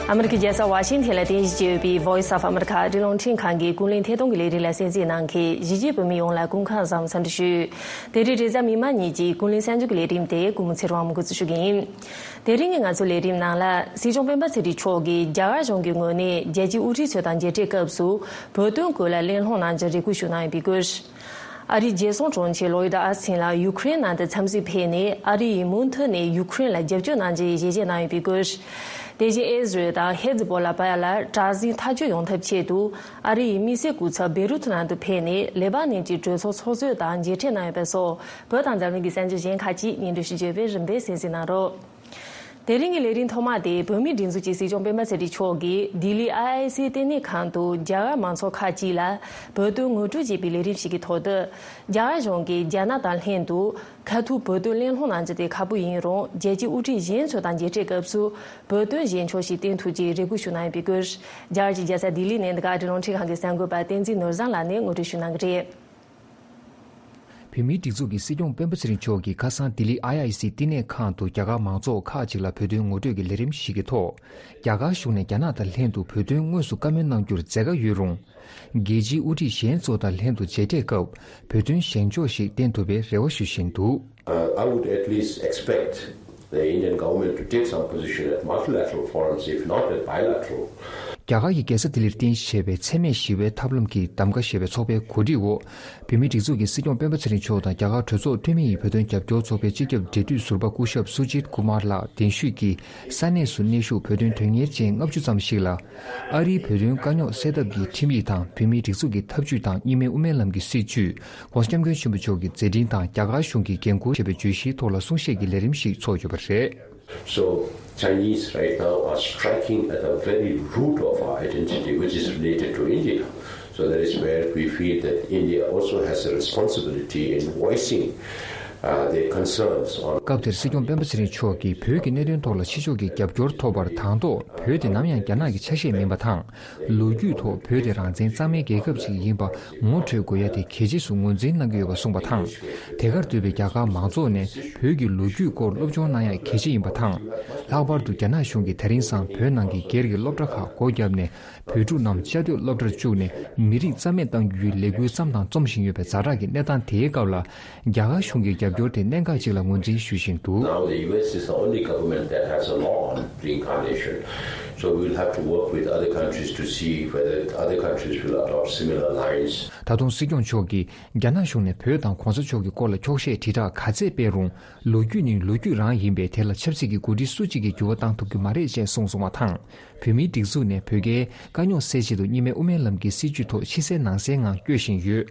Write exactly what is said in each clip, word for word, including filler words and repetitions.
ཨ་མི་རི་ཀའི་རྒྱལ་ས་ཝ་ཤིང་ཐན་ལ་རྟེན་གཞི་བྱས་ཡོད་པའི་Voice of America ཨ་རིའི་རླུང་འཕྲིན་ཁང་གི་ཀུན་གླེང་ཐད་གཏོང་གི་ལས་རིམ་ལ་གསན་གཟིགས་གནང་མཁན་གཞིས་བྱེས་བོད་མི་ཡོངས་ལ་སྐུ་ཁམས་བཟང་འཚམས་འདྲི་ཞུ། དེ་རིང་རེས་གཟའ་མིག་དམར་ཉིན་གྱི་ཀུན་གླེང་གསར་འགྱུར་གྱི་ལས་རིམ་དེ་སྐུ་ངོ་ཚེ་རིང་དབང་མོས་འགོ་འཛུགས་ཞུ་གི་ཡིན། དེ་རིང་གི་ང་ཚོའི་ལས་རིམ་ནང་ལ་སྲིད་སྐྱོང་སྤེན་པ་ཚེ་རིང་མཆོག་གིས་རྒྱ་གར་གཞུང་གི་ངོས་ནས་རྒྱལ་སྤྱིའི་དབུ་ཁྲིད་ཚོ་དང་མཇལ་འཕྲད་སྐབས་སུ་བོད་དོན་སྐོར་ལ་གླེང་སློང་གནང་རྒྱུ་རེ་སྐུལ་ཞུ་གནང་ཡོད་པའི་སྐོར། ཨ་རིའི་རྒྱལ་སྲུང་དྲུང་ཆེ་ལོ་ཡིད་ཨ་སིན་ལགས་ཡུ་ཁུ་རེན་ནང་དུ་འཚམས་གཟིགས་ཕེབས་ནས་ཨ་རི་ཡིས་མུ་མཐུད་ནས་ཡུ་ཁུ་རེན་ལ་རྒྱབ་སྐྱོར་གནང་རྒྱུའི་ཞལ་བཞེས་གནང་ཡོད་པའི་སྐོར། དེ་བཞིན་ཨེ་ཟི་རལ་དང་ཧེ་ཛི་བྷོ་ལ་བར་ལ་དྲག་ཟིང་ཐག་གཅོད་ཡོང་ཐབས་ཆེད་དུ་ཨ་རི་ཡི་དམིགས་བསལ་སྐུ་ཚབ་བེ་རུ་ཐུ་ནང་དུ་ཕེབས་ནས་ལེ་པ་ནན་གྱི་གྲོས་ཚོགས་ཚོགས་གཙོ་དང་མཇལ་འཕྲད་གནང་ཡོད་པ་སོགས་བོད་དང་འཛམ་གླིང་གི་གསར་འགྱུར་གཞན་ཁག་ཅིག་སྙན་སྒྲོན་ཞུ་རྒྱུ་ཡོད་པས་རིམ་པས་གསན་གཟིགས་གནང་རོགས། དེ་རིང་གི་ལས་རིམ་ཐོག་མ་དེ་བོད་མིའི་སྒྲིག་འཛུགས་ཀྱི་སྲིད་སྐྱོང་སྤེན་པ་ཚེ་རིང་མཆོག་གིས་ལྡི་ལི་ཨའི་ཨའི་སི་ལྟེ་གནས་ཁང་དུ་རྒྱ་གར་མང་ཚོགས་ཁག་ཅིག་ལ་བོད་དོན་ངོ་སྤྲོད་བྱེད་པའི་ལས་རིམ་ཞིག་གི་ཐོག་ཏུ། རྒྱ་གར་གཞུང་གིས་རྒྱ་ནག་དང་ལྷན་དུ་ཁ་ཐུག་བོད་དོན་གླེང་སློང་གནང་རྒྱུ་དེ་ཁག་པོ་ཡིན་རུང་རྒྱལ་སྤྱིའི་དབུ་ཁྲིད་གཞན་ཚོ་དང་མཇལ་འཕྲད་སྐབས་སུ་བོད་དོན་གཞན་ཕྱོགས་ཤིག་བསྟན་ཐུབ་ཅེས་རེ་སྐུལ་ཞུ་གནང་ཡོད་པའི་སྐོར། རྒྱ་གར་གྱི་རྒྱལ་ས་ལྡི་ལི་ནས་འདི་ག་ཨ་རིའི་རླུང་འཕྲིན་ཁང་གི་གསར་འགོད་པ་བསྟན་འཛིན་ནོར་བཟང་ལགས་ནས་ངོ་སྤྲོད་ཞུ་གནང་གི་རེད། བོད་མིའི་སྒྲིག་འཛུགས་ཀྱི་སྲིད་སྐྱོང་སྤེན་པ་ཚེ་རིང་མཆོག་གིས་ཁ་སང་ལྡི་ལི་ཨའི་ཨའི་སི་ལྟེ་གནས་ཁང་དུ་རྒྱ་གར་མང་ཚོགས་ཁག་ཅིག་ལ་བོད་དོན་ངོ་སྤྲོད་ཀྱི་ལས་རིམ་ཞིག་གི་ཐོག་རྒྱ་གར་གཞུང་ནས་རྒྱ་ནག་དང་ལྷན་དུ་བོད་དོན་དངོས་སུ་བཀའ་མོལ་གནང་རྒྱུར་མཛད་དཀའ་ཡོད་རུང་། རྒྱལ་སྤྱིའི་དབུ་ཁྲིད་གཞན་ཚོ་དང་ལྷན་དུ་མཇལ་འཕྲད་སྐབས་བོད་དོན་གཞན་ཕྱོགས་ཤིག་བསྟན་ཐུབ་པའི་རེ་བ་ཞུ་བཞིན་འདུག། Uh, I would at least expect the Indian government to take some position at multilateral forums, if not at bilateral. རྒྱ་གར་གྱི་རྒྱལ་ས་ལྡི་ལིར་རྟེན་གཞི་བྱས་པའི་འཚེ་མེད་ཞི་བའི་ཐབས་ལམ་གྱི་གདམ་ག་ཞེས་པའི་ཚོགས་པའི་གོ་སྒྲིག་འོག་བོད་མིའི་སྒྲིག་འཛུགས་ཀྱི་སྲིད་སྐྱོང་སྤེན་པ་ཚེ་རིང་མཆོག་དང་རྒྱ་གར་གྲོས་ཚོགས་འཐུས་མི་ཡི་བོད་དོན་རྒྱབ་སྐྱོར་ཚོགས་པའི་སྤྱི་ཁྱབ་འབྲེལ་མཐུད་ཟུར་པ་སྐུ་ཞབས་སུ་ཇིད་ཀུ་མར་ལགས་གདན་ཞུས་ཀྱིས་ས་གནས་སུ་གནས་བཞུགས་བོད་དོན་དོན་གཉེར་ཅན་ལྔ་བཅུ་ཙམ་ཞིག་ལ། ཨ་རིའི་བོད་དོན་དཀའ་རྙོག་སེལ་ཐབས་ཀྱི་ཁྲིམས་ཡིག་དང་བོད་མིའི་སྒྲིག་འཛུགས་ཀྱི་ཐབས་ཇུས་དང་གཉིས་སྨན་དབུ་མའི་ལམ་གྱི་སྲིད་བྱུས། ྋགོང་ས་ྋསྐྱབས་མགོན་ཆེན་པོ་མཆོག་གི་མཛད་འཕྲིན་དང་རྒྱ་གར་གཞུང་གིས་འགན་འཁུར་ཞེས་པའི་བརྗོད་གཞིའི་ཐོག་ལ་གསུང་བཤད་ཀྱི་ལས་རིམ་ཞིག་ཚོགས་ཡོད་པ་རེད། So, Chinese right now are striking at the very root of our identity, which is related to India. So that is where we feel that India also has a responsibility in voicing uh, their concerns on. སྐབས་དེར་སྲིད་སྐྱོང་སྤེན་པ་ཚེ་རིང་མཆོག་གིས་བོད་ཀྱི་གནད་དོན་ཐོག་ལ་ཕྱི་ཕྱོགས་ཀྱི་རྒྱབ་སྐྱོར་ཐོབ་པར་དང་ཐོག་བོད་དེ་ནམ་ཡང་རྒྱ་ནག་གི་ཆ་ཤས་མིན་པ་དང་། ལོ་རྒྱུས་ཐོག་བོད་དེ་རང་བཙན་གཙང་མའི་རྒྱལ་ཁབ་ཅིག་ཡིན་པ་ངོ་འཕྲོད་དགོས་ཡ་དེ་གལ་ཆེ་ཞེས་ངོས་འཛིན་གནང་གི་ཡོད་པ་གསུངས་པ་དང་། དེ་གར་འདུས་པའི་རྒྱ་གར་མང་ཚོགས་ནས་བོད་ཀྱི་ལོ་རྒྱུས་སྐོར་སློབ་སྦྱོང་གནང་ཡ་གལ་ཆེ་ཡིན་པ་དང་། ལྷག་པར་དུ་རྒྱ་ནག་གཞུང་གིས་དེ་རིང་སང་བོད་ནང་གི་སྒེར་གྱི་སློབ་གྲྭ་ཁག་སྒོ་བརྒྱབ་ནས། བོད་ཕྲུག་རྣམས་བཅའ་སྡོད་སློབ་གྲྭར་བཅུག་ནས་མི་རིགས་རྩ་མེད་གཏང་རྒྱུའི་ལས་འགུལ་བརྩམས་དང་རྩོམ་བཞིན་ཡོད་པའི་ཛ་དྲག་གི་གནས་སྟངས་དེའི་སྐབས་ལ། རྒྱ་གར་གཞུང་གི་རྒྱབ་སྐྱོར་དེ་གནད་འགག་ཅིག་ལ་ངོས་འཛིན་ཞུ་བཞིན་འདུག། Now the U S is the only government that has a law on reincarnation. So we will have to work with other countries to see whether other countries will adopt similar lines. ད་དུང་སྲིད་སྐྱོང་མཆོག་གིས་རྒྱ་ནག་གཞུང་ནས་བོད་དང་གོང་ས་མཆོག་གི་སྐོར་ལ་འཁྱོག་བཤད་དྲིལ་བསྒྲགས་ག་ཚད་སྤེལ་རུང་། ལོ་རྒྱུས་ནི་ལོ་རྒྱུས་རང་ཡིན་པས་དེ་ལ་ཆབ་སྲིད་ཀྱི་འགོ་ཁྲིད་སུ་གཅིག་གིས་འགྱུར་བ་བཏང་ཐུབ་རྒྱུ་མ་རེད་ཅེས་གསུངས་སོང་བ་དང་། བོད་མིའི་སྒྲིག་འཛུགས་ནས་བོད་རྒྱའི་དཀའ་རྙོག་སེལ་ཆེད་དུ་གཉིས་སྨན་དབུ་མའི་ལམ་གྱི་སྲིད་བྱུས་ཐོག་ཕྱི་གསལ་ནང་གསལ་ངང་སྐྱོད་བཞིན་ཡོད།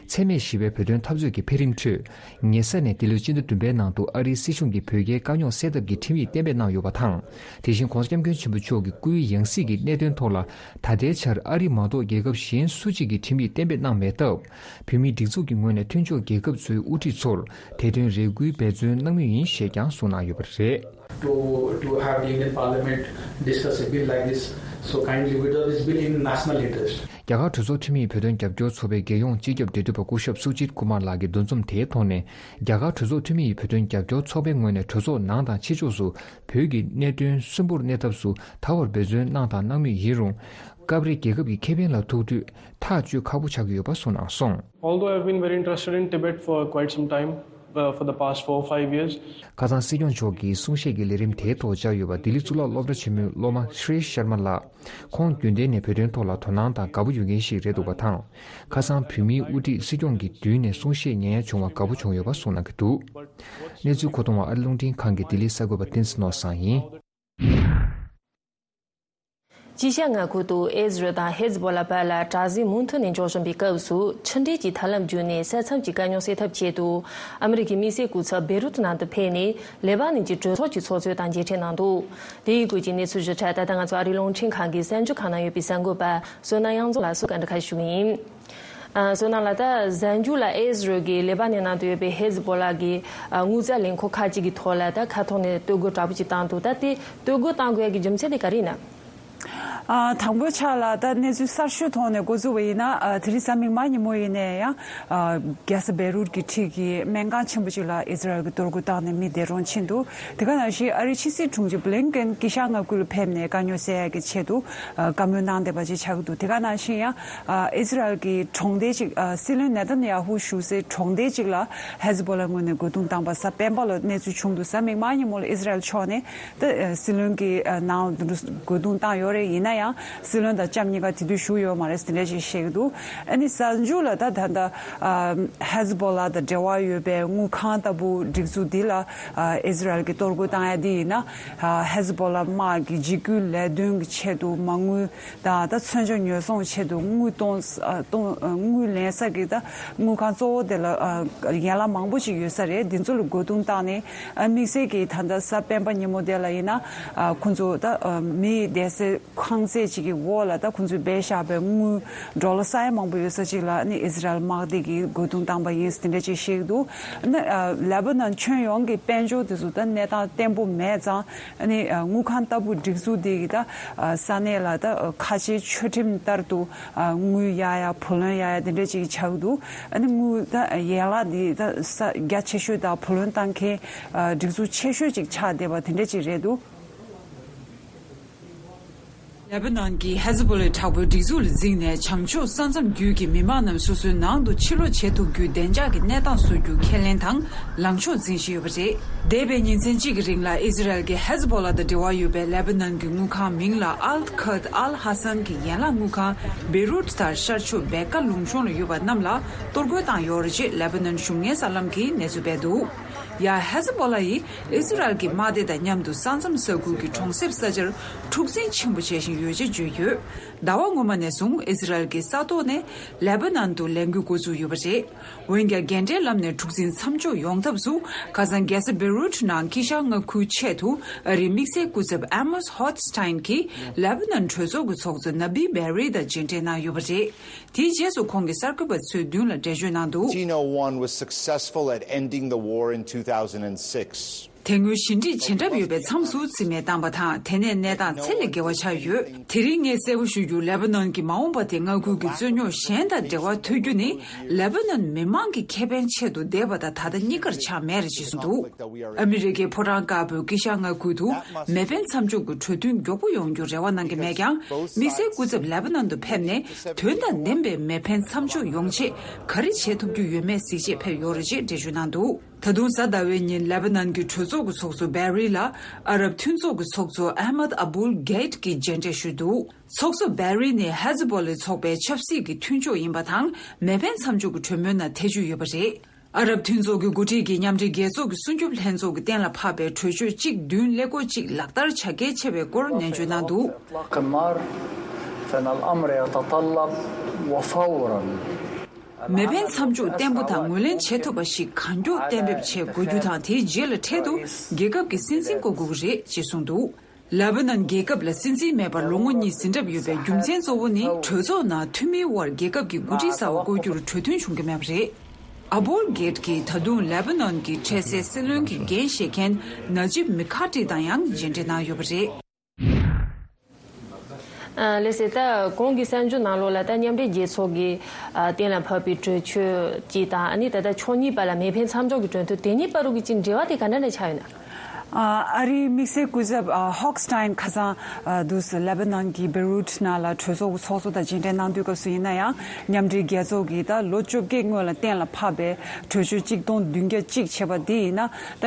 འཚེ་མེད་ཞི་བའི་བོད་དོན་འཐབ་རྩོད་ཀྱི་འཕེལ་རིམ་ཁྲོད། ཉེ་ས་ནས་འདི་ལོའི་སྤྱི་ཟླ་བདུན་པའི་ནང་དུ་ཨ་རིའི་སྲིད་གཞུང་གིས་བོད་རྒྱའི་དཀའ་རྙོག་སེལ་ཐབས་ཀྱི་ཁྲིམས་ཡིག་གཏན་འབེབས་གནང་ཡོད་པ་དང་། དེ་བཞིན་ྋགོང་ས་ྋསྐྱབས་མགོན་ཆེན་པོ་མཆོག་གི་སྐུའི་ཡང་སྲིད་ཀྱི་གནད་དོན་ཐོག་ལ་ད་ལྟའི་ཆར་ཨ་རི་མ་གཏོགས་རྒྱལ་ཁབ་གཞན་སུ་གཅིག་གིས་ཁྲིམས་ཡིག་གཏན་འབེབས་གནང་མེད་སྟབས། བོད་མིའི་སྒྲིག་འཛུགས་ཀྱི་ངོས་ནས་མཐུན་ཕྱོགས་རྒྱལ་ཁབ་ཚོའི་དབུ་ཁྲིད་ཚོར་དེ་དོན་རེ་སྐུལ་འབད་བརྩོན་གནང་མུས་ཡིན་ཞེས་ཀྱང་གསུངས་གནང་ཡོད་པ་རེད། To, to have the Indian Parliament discuss a bill like this so kindly, without this bill in national interest. རྒྱ་གར་གྲོས་ཚོགས་འཐུས་མི་ཡི་བོད་དོན་རྒྱབ་སྐྱོར་ཚོགས་པའི་རྒྱལ་ཡོངས་སྤྱི་ཁྱབ་འབྲེལ་མཐུད་པ་སྐུ་ཞབས་སུ་ཇིད་ཀུ་མར་ལགས་ཀྱི་འདུ་འཛོམས་དེའི་ཐོག་ནས། རྒྱ་གར་གྲོས་ཚོགས་འཐུས་མི་ཡི་བོད་དོན་རྒྱབ་སྐྱོར་ཚོགས་པའི་ངོས་ནས་གྲོས་ཚོགས་ནང་དང་ཕྱི་ཕྱོགས་སུ་བོད་ཀྱི་གནད་དོན་གསོན་པོར་གནས་ཐབས་སུ་ད་བར་འབད་བརྩོན་གནང་དང་གནང་མུས་ཡིན་རུང་། སྐབས་རེ་རྒྱལ་ཁབ་ཀྱི་ཁེ་ཕན་ལ་ཐུག་དུས་ཐག་གཅོད་ཁག་པོ་ཆགས་ཀྱི་ཡོད་པ་གསུངས་གནང་སོང་། Although I've been very interested in Tibet for quite some time, uh, for the past four, five years. ཁ་སང་སྲིད་སྐྱོང་མཆོག་གིས་གསུང་བཤད་ཀྱི་ལས་རིམ་དེའི་ཐོག་བཅར་ཡོད་པ་ལྡི་ལི་གཙུག་ལག་སློབ་གྲྭ་ཆེན་མོའི་སློབ་མ་ཤྲི་ཤར་མ་ལགས། ཁོང་རྒྱུན་ལྡན་ནས་བོད་དོན་ཐོག་ལ་དོ་སྣང་དང་དགའ་པོ་ཡོད་མཁན་ཞིག་རེད་འདུག་པ་དང་། ཁ་སང་བོད་མིའི་དབུ་ཁྲིད་སྲིད་སྐྱོང་གི་མདུན་ནས་གསུང་བཤད་ཉན་ཡ་བྱུང་བར་དགའ་པོ་བྱུང་ཡོད་པ་གསུངས་གནང་གི་འདུག། གནས་ཚུལ་མཁོ་གཏོང་བ་ཨ་རི་རླུང་འཕྲིན་ཁང་གི་ལྡི་ལི་གསར་འགོད་པ་བསྟན་འཛིན་ནོར་བཟང་ཡིན། དཀྱིལ་ཤར་མངའ་ཁུལ་དུ་ཨེ་ཟི་རལ་དང་ཧེ་ཛི་བྷོ་ལ་བར་ལ་དྲག་ཟིང་མུ་མཐུད་ནས་འཇོག་བཞིན་པའི་སྐབས་སུ་ཕྱི་འབྲེལ་གྱི་ཐབས་ལམ་བརྒྱུད་ནས་ས་མཚམས་ཀྱི་དཀའ་རྙོག་སེལ་ཐབས་ཆེད་དུ་ཨ་མི་རི་ཀའི་དམིགས་བསལ་སྐུ་ཚབ་བེ་རུ་ཏི་ནང་དུ་ཕེབས་ནས་ལེ་པ་ནན་གྱི་གྲོས་ཚོགས་ཀྱི་ཚོགས་གཙོ་དང་མཇལ་འཕྲད་གནང་འདུག། དེ་ཡི་སྐོར་གྱི་གནས་ཚུལ་ཞིབ་ཕྲ་ད་ལྟ་ང་ཚོ་ཨ་རིའི་རླུང་འཕྲིན་ཁང་གི་གསར་འགྱུར་ཁང་ནང་ཡོད་པའི་གསར་འགོད་པ་བསོད་ནམས་དབྱངས་འཛོམས་ལགས་སུ་བཀའ་འདྲི་ཁ་ཞུ་གི་ཡིན། ཨ། བསོད་ནམས་ལགས། ད་གཟའ་མཇུག་ལ་ཨེ་ཟི་རལ་གྱིས་ལེ་པ་ནན་ནང་དུ་ཡོད་པའི་ཧེ་ཛི་བྷོ་ལ་གི་ཨ་དངུལ་རྩ་ལས་ཁུངས་ཁག་ཅིག་གི་ཐོག་ལ་ད་ཁ་ཐོག་ནས་གཏོར་རྒོལ་དྲག་པོ་ཅིག་བཏང་འདུག། ད་དེ་གཏོར་རྒོལ་བཏང་དགོས་ཡ་གི་རྒྱུ་མཚན་དེ་ག་རེ་ཡིན་ན། ཨ། དང་པོའི་ཆ་ལ་ད་གནས་ཚུལ་གསར་ཤོས་ཐོག་ནས་འགོ་འཛུགས་པ་ཡིན་ན། ཨ། དེ་རིང་གཟའ་མིག་དམར་ཉིན་མོ་ཡིན་ནའི་ཡང་། ཨ། རྒྱལ་ས་བེ་རུད་ཀྱི་འཁྲིས་ཀྱི་སྨན་ཁང་ཆེན་པོ་ཅིག་ལ་ཨི་ཟི་རལ་གྱིས་གཏོར་རྒོལ་བཏང་ནས་མི་བདེ་གྲོངས་ཕྱིན་འདུག་དེ་ག་ནང་བཞིན་ཨ་རིའི་ཕྱི་སྲིད་དྲུང་ཆེ་བྷི་ལིན་ཀེན་དཀྱིལ་ཤར་མངའ་ཁུལ་ལ་ཕེབས་ནས་དཀའ་རྙོག་སེལ་ཡག་གི་ཆེད་དུ། ཨ། བཀའ་མོལ་གནང་བསྡད་པ་ཅིག་ཆགས་ཀྱི་འདུག་དེ་ག་ནང་བཞིན་ཡང་། ཨ། ཨི་ཟི་རལ་གྱི་གྲོང་སྡེ་ཅིག་ཨ། སྲིད་བློན་ནེ་ཐན་ཡ་ཧུ་བཞུགས་སའི་གྲོང་སྡེ་ཅིག་ལ་ཧེ་ཛི་བྷོ་ལ་ངོས་ནས་རྒོལ་རྡུང་བཏང་པ་གཟའ་སྤེན་པ་ལ་གནས་ཚུལ་བྱུང་འདུག་གཟའ་མིག་དམར་ཉིན་མོ་ལ་ཨི་ཟི་རལ་ཕྱོགས་ནས། ད་སྲིད་བློན་གྱི་ནང་དུ་རྒོལ་རྡུང་བཏང་ཡོད་རེད། ཡིན་ན་ཡང་སྲིད་བློན་དང་ལྕམ་གཉིས་ཀ་དེ་དུས་བཞུགས་ཡོད་མ་རེད་ཟེར་འདྲ་ཞིག་བཤད་ཀྱི་འདུག་ཨ་ནི་གཟའ་མཇུག་ལ་ད་ད་ལྟ་ཧེ་ཛི་བྷོ་ལ་དང་འབྲེལ་བ་ཡོད་པའི་དངུལ་ཁང་ལྟ་བུ་སྒྲིག་འཛུགས་འདི་ལ་ཨི་ཟི་རལ་གྱིས་གཏོར་རྒོལ་བཏང་ཡ་འདི་ཡིན་ན། ཧེ་ཛི་བྷོ་ལ་དམག་གི་འཇིགས་སྐུལ་ལས་དོན་གྱི་ཆེད་དུ་མ་དངུལ་དང་ད་མཚོན་ཆ་ཉོ་ཚོང་ཆེད་དུ་དངུལ་གཏོང་གཏོང་དངུལ་ལེན་ས་གི་ད་དངུལ་ཁང་གཙོ་བོ་དེ་ལ་ཡན་ལག་མང་པོ་ཞིག་ཡོད་ས་རེད། འདི་ཚོ་ལ་རྒོལ་རྡུང་བཏང་ནས། དམིགས་བསལ་གྱིས་ད་ལྟ་གཟའ་སྤེན་པ་ཉིན་མོ་དེ་ལ་ཡིན་ན། ཁོང་ཚོ་ད་མི་བསྡད་སའི་ཁང་བརྩེགས་ཅིག་གི་འོག་ལ་ད་ཁོང་ཚོས་སྦས་བཞག་པའི་དངུལ་ཌོ་ལར་ས་ཡ་མང་པོ་ཡོད་ས་ཅིག་ལ་ནི་ཨི་ཟི་རལ་དམག་སྡེ་གིས་རྒོལ་རྡུང་བཏང་པ་ཡིན་ཟེར་འདྲ་ཅིག་བཤད་ཀྱི་འདུག་ཨ་ནི་ལེ་བྷ་ནན་ཁྱོན་ཡོངས་ཀྱི་དཔལ་འབྱོར་དེ་ཚོ་ད་གནས་སྟངས་བརྟན་པོ་མེད་ཙང་། ཨ་ནི་དངུལ་ཁང་ལྟ་བུ་སྒྲིག་འཛུགས་དེ་གི་ད་ས་གནས་ལ་ད་ཁ་ཆེའི་ཆོས་ཁྲིམས་ལྟར་དུ་དངུལ་གཡར་ཡ་བུ་ལོན་གཡར་ཡ་དེ་འདྲ་ཅིག་ཆགས་ཀྱི་འདུག་ཨ་ནི་དངུལ་ད་ཡན་ལག་འདི་ད་ས་རྒྱ་ཆེ་ཤོས་དང་བུ་ལོན་བཏང་མཁན་སྒྲིག་འཛུགས་ཆེ་ཤོས་ཅིག་ཆགས་བསྡད་པ་དེ་འདྲ་ཅིག་རེད་འདུག་ལེ་བྷ་ནན་གྱིས་ཧེ་ཛི་བྷོ་ལའི་དྲག་པོའི་སྒྲིག་འཛུགས་ལ་འཛིངས་ནས་བྱང་ཕྱོགས་ས་མཚམས་བརྒྱུད་ཀྱི་མི་མང་རྣམས་སོ་སོའི་ནང་དུ་ཕྱིར་ལོག་བྱེད་ཐུབ་རྒྱུའི་བདེ་འཇགས་ཀྱི་གནས་སྟངས་བཟོ་རྒྱུ་ཁས་ལེན་དང་ལངས་ཕྱོགས་འཛིན་བཞིན་ཡོད་པ་རེད། འདས་པའི་ཉིན་མཚན་གཅིག་གི་རིང་ལ་ཨི་ཟི་རལ་གྱིས་ཧེ་ཛི་བྷོ་ལ་དང་འབྲེལ་བ་ཡོད་པའི་ལེ་བྷ་ནན་གྱི་དངུལ་ཁང་མིང་ལ་ཨལ་ཁད་ཨལ་ཧ་སན་གྱི་ཡན་ལག་དངུལ་ཁང་བེ་རུད་དང་ཤར་ཕྱོགས་བེ་ཀ་ལུང་གཤོང་ལ་ཡོད་པ་རྣམས་ལ་གཏོར་རྒོལ་བཏང་ཡོད་རེད་ཅེས་ལེ་བྷ་ནན་གཞུང་གཉེར་གསར་ལམ་གྱིས་གནས་ཚུལ་སྤེལ་འདུག་ཡ། ཧེ་ཛི་བྷོ་ལ་ཡིས་ཨི་ཟི་རལ་གྱི་དམག་སྡེ་དང་མཉམ་དུ་ས་མཚམས་ས་ཁུལ་གྱི་གྲོང་གསེབ་ས་ཆར་འཁྲུག་འཛིང་ཆེན་པོ་བྱེད་བཞིན་ཡོད་ཅེས་བརྗོད་ཡོད། ཟླ་བ་སྔོན་མ་ནས་བཟུང་ཨི་ཟི་རལ་གྱིས་ས་ཐོག་ནས་ལེ་བྷ་ནན་དུ་ལས་འགུལ་འགོ་བཙུགས་ཡོད་པ་རེད། འོན་ཀྱང་། རྒྱལ་འབྲེལ་ལམ་ནས་འཁྲུག་འཛིང་མཚམས་འཇོག་ཡོང་ཐབས་སུ། ཁ་སང་རྒྱལ་ས་བེ་རུད་ནང་དཀྱིལ་ཤར་མངའ་ཁུལ་ཆེད་དུ་ཨ་རིའི་དམིགས་བསལ་སྐུ་ཚབ་ཨ་མོས་ཧོད་སི་ཏཱིན་གྱིས་ལེ་བྷ་ནན་གྲོས་ཚོགས་ཀྱི་ཚོགས་གཙོ་ན་བི་བེ་རི་དང་མཇལ་འཕྲད་གནང་ཡོད་པ་རེད། དེའི་རྗེས་སུ་ཁོང་གིས་གསར་འགོད་པ་ཚོའི་མདུན་ལ་འགྲེལ་བརྗོད་གནང་འདུག Tino one was successful at ending the war in two thousand six. དེ་སྔོན་ཞི་འགྲིག་བྱེད་གྲབས་ཡོད་པའི་མཚམས་སུ་རྩིས་མེད་བཏང་པ་དང་། དེ་ནས་གནས་སྟངས་ཚད་ལས་བརྒལ་བ་ཆགས་ཡོད། དེ་རིང་ངས་གསལ་པོ་ཞུ་རྒྱུ། ལེ་བྷ་ནན་གྱི་མ་འོངས་པ་དེ་མངའ་ཁུལ་གྱི་རྩོད་རྙོག་གཞན་དང་འབྲེལ་བ་མཐུད་རྒྱུ་ནི་ལེ་བྷ་ནན་མི་མང་གི་ཁེ་ཕན་ཆེད་དུ་བསྡད་པ་དང་ད་ལྟ་གཉིས་ཀར་ཆགས་མེད་རེད་ཅེས་གསུངས་འདུག་ཨ་མི་རི་ཀའི་ཕོ་བྲང་དཀར་པོའི་དཀྱིལ་ཤར་མངའ་ཁུལ་དུ་མེ་འཕེན་མཚམས་འཇོག་གི་གྲོས་མཐུན་མགྱོགས་པོ་ཡོང་རྒྱུར་རེ་བ་གནང་གི་མེད་ཀྱང་། དམིགས་བསལ་སྐུ་ཚབ་ལེ་བྷ་ནན་དུ་ཕེབས་ནས་དོན་དང་ལྡན་པའི་མེ་འཕེན་མཚམས་འཇོག་ཡོང་ཆེད་ག་རེ་བྱེད་ཐུབ་རྒྱུ་ཡོད་མེད་གཟིགས་ཆེད་ཕེབས་ཡོད་རེད་ཅེས་འགྲེལ་བརྗོད་གནང་འདུག་ད་དུང་གཟའ་ཟླ་བའི་ཉིན་ལེ་བྷ་ནན་གྱི་གྲོས་ཚོགས་ཀྱི་ཚོགས་གཙོ་བེ་རི་ལ་ཨ་རབ་མཐུན་ཚོགས་ཀྱི་ཚོགས་གཙོ་ཨ་མད་ཨ་བུལ་གྷེད་ཀྱིས་མཇལ་འཕྲད་ཞུས་འདུག་ཚོགས་གཙོ་བེ་རི་ནི་ཧེ་ཛི་བྷོ་ལའི་ཚོགས་པའི་ཆབ་སྲིད་ཀྱི་མཐུན་ཕྱོགས་ཡིན་པ་དང་། མེ་འཕེན་མཚམས་འཇོག་གི་གྲོས་མོལ་ནང་ཐེ་བྱུས་ཡོད་པ་རེད། ཨ་རབ་མཐུན་ཚོགས་ཀྱི་འགོ་ཁྲིད་ཀྱིས་མཉམ་འབྲེལ་རྒྱལ་ཚོགས་ཀྱི་སྲུང་སྐྱོབ་ལྷན་ཚོགས་ཀྱིས་གཏན་ལ་ཕབ་པའི་གྲོས་ཆོད་གཅིག་བདུན་ཀླད་ཀོར་གཅིག་ལག་བསྟར་བྱ་གལ་ཆེ་བའི་སྐོར་ནན་བརྗོད་གནང་འདུག إطلاق النار، فإن الأمر يتطلب وفورا. མེ་འཕེན་མཚམས་འཇོག་བརྟན་པོ་དང་ངོས་ལེན་བྱེད་ཐུབ་པ་ཞིག་གང་མགྱོགས་གཏན་འབེབས་བྱེད་དགོས་རྒྱུ་དང་། དེའི་རྗེས་ལ་འཕྲལ་དུ་རྒྱལ་ཁབ་ཀྱི་སྲིད་འཛིན་བསྐོ་དགོས་ཀྱི་རེད་ཅེས་གསུངས་འདུག་ལེ་བྷ་ནན་རྒྱལ་ཁབ་ལ་སྲིད་འཛིན་མེད་པར་ལོ་ངོ་གཉིས་ཟིན་གྲབས་ཡོད་པའི་རྒྱུ་མཚན་གཙོ་བོ་ནི། གྲོས་ཚོགས་ནང་འཐུས་མིའི་དབར་རྒྱལ་ཁབ་ཀྱི་འགོ་ཁྲིད་གསར་པ་བསྐོ་རྒྱུར་གྲོས་མཐུན་བྱུང་གི་མེད་པ་རེད། ཨ་བུལ་གྷེད་ཀྱིས་ད་དུང་ལེ་བྷ་ནན་གྱི་འཕྲལ་སེལ་སྲིད་བློན་གྱི་འགན་བཞེས་མཁན་ན་ཇིབ་མི་ཁ་ཏི་དང་ཡང་མཇལ་འཕྲད་གནང་ཡོད་པ་རེད། ཨ། ལགས་སོ། ད་གོང་གི་གསར་འགྱུར་ནང་ལོགས་ལ་ད་མཉམ་འབྲེལ་རྒྱལ་ཚོགས་ཀྱིས་ཨ་གཏན་ལ་ཕབ་པའི་གྲོས་ཆོད་ཅིག་དང་། ཨ་ནི་ད་ལྟ་ཕྱོགས་གཉིས་བར་ལ་མེ་འཕེན་མཚམས་འཇོག་གི་གྲོས་མཐུན། དེ་གཉིས་བར་དུ་གི་ཅིག་འབྲེལ་བ་དེ་ག་འདྲ་འདྲ་ཆགས་ཡོད་ན། ཨ་རིའི་དམིགས་བསལ་སྐུ་ཚབ་ཨ་ཧོག་སི་ཏཱིན་ཁ་སང་ཨ་དུས་ལེ་བྷ་ནན་གྱི་བེ་རུད་ནང་ལ་གྲོས་ཚོགས་ཀྱི་ཚོགས་གཙོ་དང་མཇལ་འཕྲད་གནང་དུས་སྐབས་སུ་ཡིན་ན་ཡང་། མཉམ་འབྲེལ་རྒྱལ་ཚོགས་ཀྱིས་ད་ལོ་བཅོ་བརྒྱད་སྔོན་ལ་གཏན་ལ་ཕབ་པའི་གྲོས་ཆོད་གཅིག་སྟོང་བདུན་བརྒྱ་གཅིག་བྱས་པ་དེ་ཡིན་ན། ད་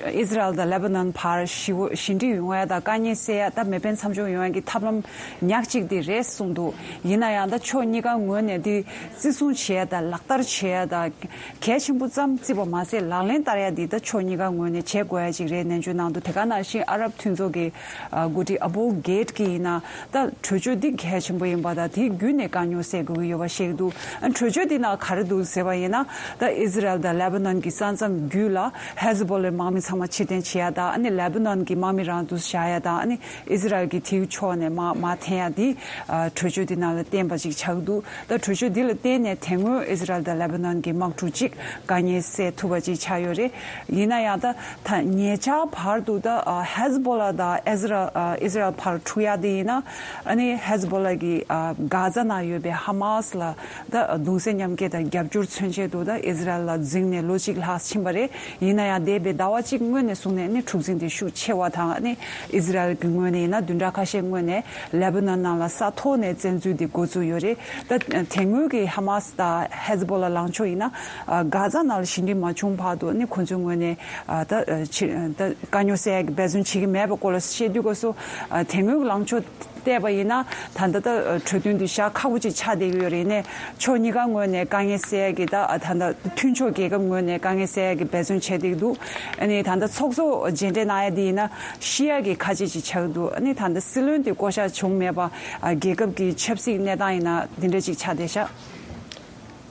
ཨི་ཟི་རལ་དང་ལེ་བྷ་ནན་བར་ཞི་བོ་ཞི་འགྲིག་ཡོང་ཡ་དང་དཀའ་ངལ་སེལ་ཡ། ད་མེ་འཕེན་མཚམས་འཇོག་ཡོང་ཡ་གི་ཐབས་ལམ་ཉག་གཅིག་དེ་རེད་གསུངས་འདུག་ཡིན་ན་ཡང་ད་ཕྱོགས་གཉིས་ཀ་ངོས་ནས་དེ་བརྩི་སྲུང་བྱེད་ཡ་དང་ལག་བསྟར་བྱེད་ཡ་དང་། གལ་ཆེན་པོ་ཙམ་བརྩིས་པ་མ་ཟད། ལག་ལེན་བསྟར་ཡ་འདི་ད་ཕྱོགས་གཉིས་ཀ་ངོས་ནས་བྱེད་དགོས་ཡ་ཅིག་རེད་ནན་བརྗོད་གནང་འདུག་དེ་ག་ནང་བཞིན་ཨ་རབ་མཐུན་ཚོགས་ཀྱི་ཨ་འགོ་ཁྲིད་ཨ་བུ་གྷེད་ཀྱིས་ཡིན་ན། ད་གྲོས་ཆོད་འདི་གལ་ཆེན་པོ་ཡིན་པ་དང་། དེ་བརྒྱུད་ནས་དཀའ་རྙོག་སེལ་དགོས་ཀྱི་ཡོད་པ་བཤད་ཀྱི་འདུག་ཨ་གྲོས་ཆོད་འདི་ནང་ག་རེ་འདུག་ཟེར་བ་ཡིན་ན། ད་ཨི་ཟི་རལ་དང་ལེ་བྷ་ནན་གྱི་ས་མཚམས་བརྒྱུད་ལ་ཧེ་ཟི་བྷོ་ལའི་དམག་མི་ཚང་མ་ཕྱིར་འཐེན་བྱེད་ཡ་དང་། ཨ་ནི་ལེ་བྷ་ནན་གྱི་དམག་མི་རང་འདུ་བཞག་ཡ་དང་། ཨ་ནི་ཨི་ཟི་རལ་གྱིས་དེའི་ཕྱོགས་ནས་དམག་མར་འཐེན་ཡ་འདི་ཨ་གྲོས་ཆོད་འདི་ནང་ལ་བསྟན་པ་ཅིག་ཆགས་ཀྱི་འདུག་ད་གྲོས་ཆོད་འདི་ལ་བརྟེན་ནས་དེ་སྔོན་ཨི་ཟི་རལ་དང་ལེ་བྷ་ནན་གྱི་དམག་འཁྲུག་ཅིག་དཀའ་ངལ་སེལ་ཐུབ་པ་ཅིག་ཆགས་ཡོད་རེད། ཡིན་ན་ཡང་ད་ད་ཉེ་ཆར་ བར་དུ་ད་ཨ་ཧེ་ཛ་བྷོ་ལ་དང་ཨེ་ཛ་ར་ཨ་ཨི་ཛ་ར་ཨེལ་བར་འཁྲུག་ཡག་དེ་ཡིན་ན། ཨ་ནི་ཧེ་ཛ་བྷོ་ལ་གི་ཨ་གྷ་ཛ་ནང་ཡོད་པའི་ཧ་མ་སི་ལ་ད་གདུང་སེམས་མཉམ་སྐྱེད་དང་རྒྱབ་སྐྱོར་མཚོན་ཆེད་དུ་ད་ཨི་ཛ་ར་ཨེལ་ལ་འཛིང་ནས་ལོ་གཅིག་ལྷག་ཕྱིན་པ་རེད། ཡིན་ན་ཡང་འདས་པའི་ཟླ་བ་གཅིག་སྔོན་ནས་བཟུང་ནས་ནི་འཁྲུག་འཛིང་དེ་ཤུགས་ཆེ་བ་དང་། ཨ་ནི་ཨི་ཛ་ར་ཨེལ་གྱི་ངོས་ནས་ཡིན་ན་བདུན་ཕྲག་ཁ་ཤས་སྔོན་ནས་ལེ་པ་ནན་ནང་ལ་ས་ཐོག་ནས་བཙན་འཛུལ་དེ་འགོ་བཙུགས་ཡོད་རེད། ད་དེ་སྔོན་གྱི་ཧ་མ་སི་དང་ཧེ་ཛ་བྷོ་ལ་ལངས་ཕྱོགས་ཡིན་ན་ཨ་གྷ་ཛ་ནང་ལ་ཞི་འགྲིག་མ་བྱུང་བར་དུ་ནི་ཁོ་ཚོའི་ངོས་ནས་ཨ་ད་ཨ་ཕྱི་ད་དཀའ་རྙོག་སེལ་ཡག་གི་འབད་བརྩོན་བྱེད་ཀྱི་མེད་པའི་སྐོར་ལ་བཤད་དུས་སྐབས་སུ། ཨ་དེ་སྔོན་གྱི་ལངས་ཕྱོགས་བལྟས་པ་ཡིན་ན་ད་ལྟ་ད་གྲོས་མཐུན་དེ་བཞག་ཁག་པོ་ཅིག་ཆགས་བསྡད་ཀྱི་ཡོད་རེད། ནས་ཕྱོགས་གཉིས་ཀ་ངོས་ནས་དཀའ་ངལ་སེལ་ཡག་གི་ད་ད་ལྟ་མཐུན་ཕྱོགས་རྒྱལ་ཁབ་ངོས་ནས་དཀའ་ངལ་སེལ་ཡག་གི་འབད་བརྩོན་བྱས་བསྡད་ཀྱི་འདུག་ཨ་ནི་ད་ལྟ་ཚོགས་གཙོ་མཇལ་འཕྲད་གནང་ཡག་དེ་ཡིན་ན་ཤི་ཡག་གི་ཁ་ཆད་ཅིག་ཆགས་ཀྱི་འདུག་ཨ་ནི་ད་ལྟ་སྲིད་བློན་དེ་བསྐོ་གཞག་བྱུང་མེད་པ། ཨ་རྒྱལ་ཁབ་ཀྱི་ཆབ་སྲིད་གནས་སྟངས་ཡིན་ན་འདི་འདྲ་ཅིག་ཆགས་བསྡད་ཤག་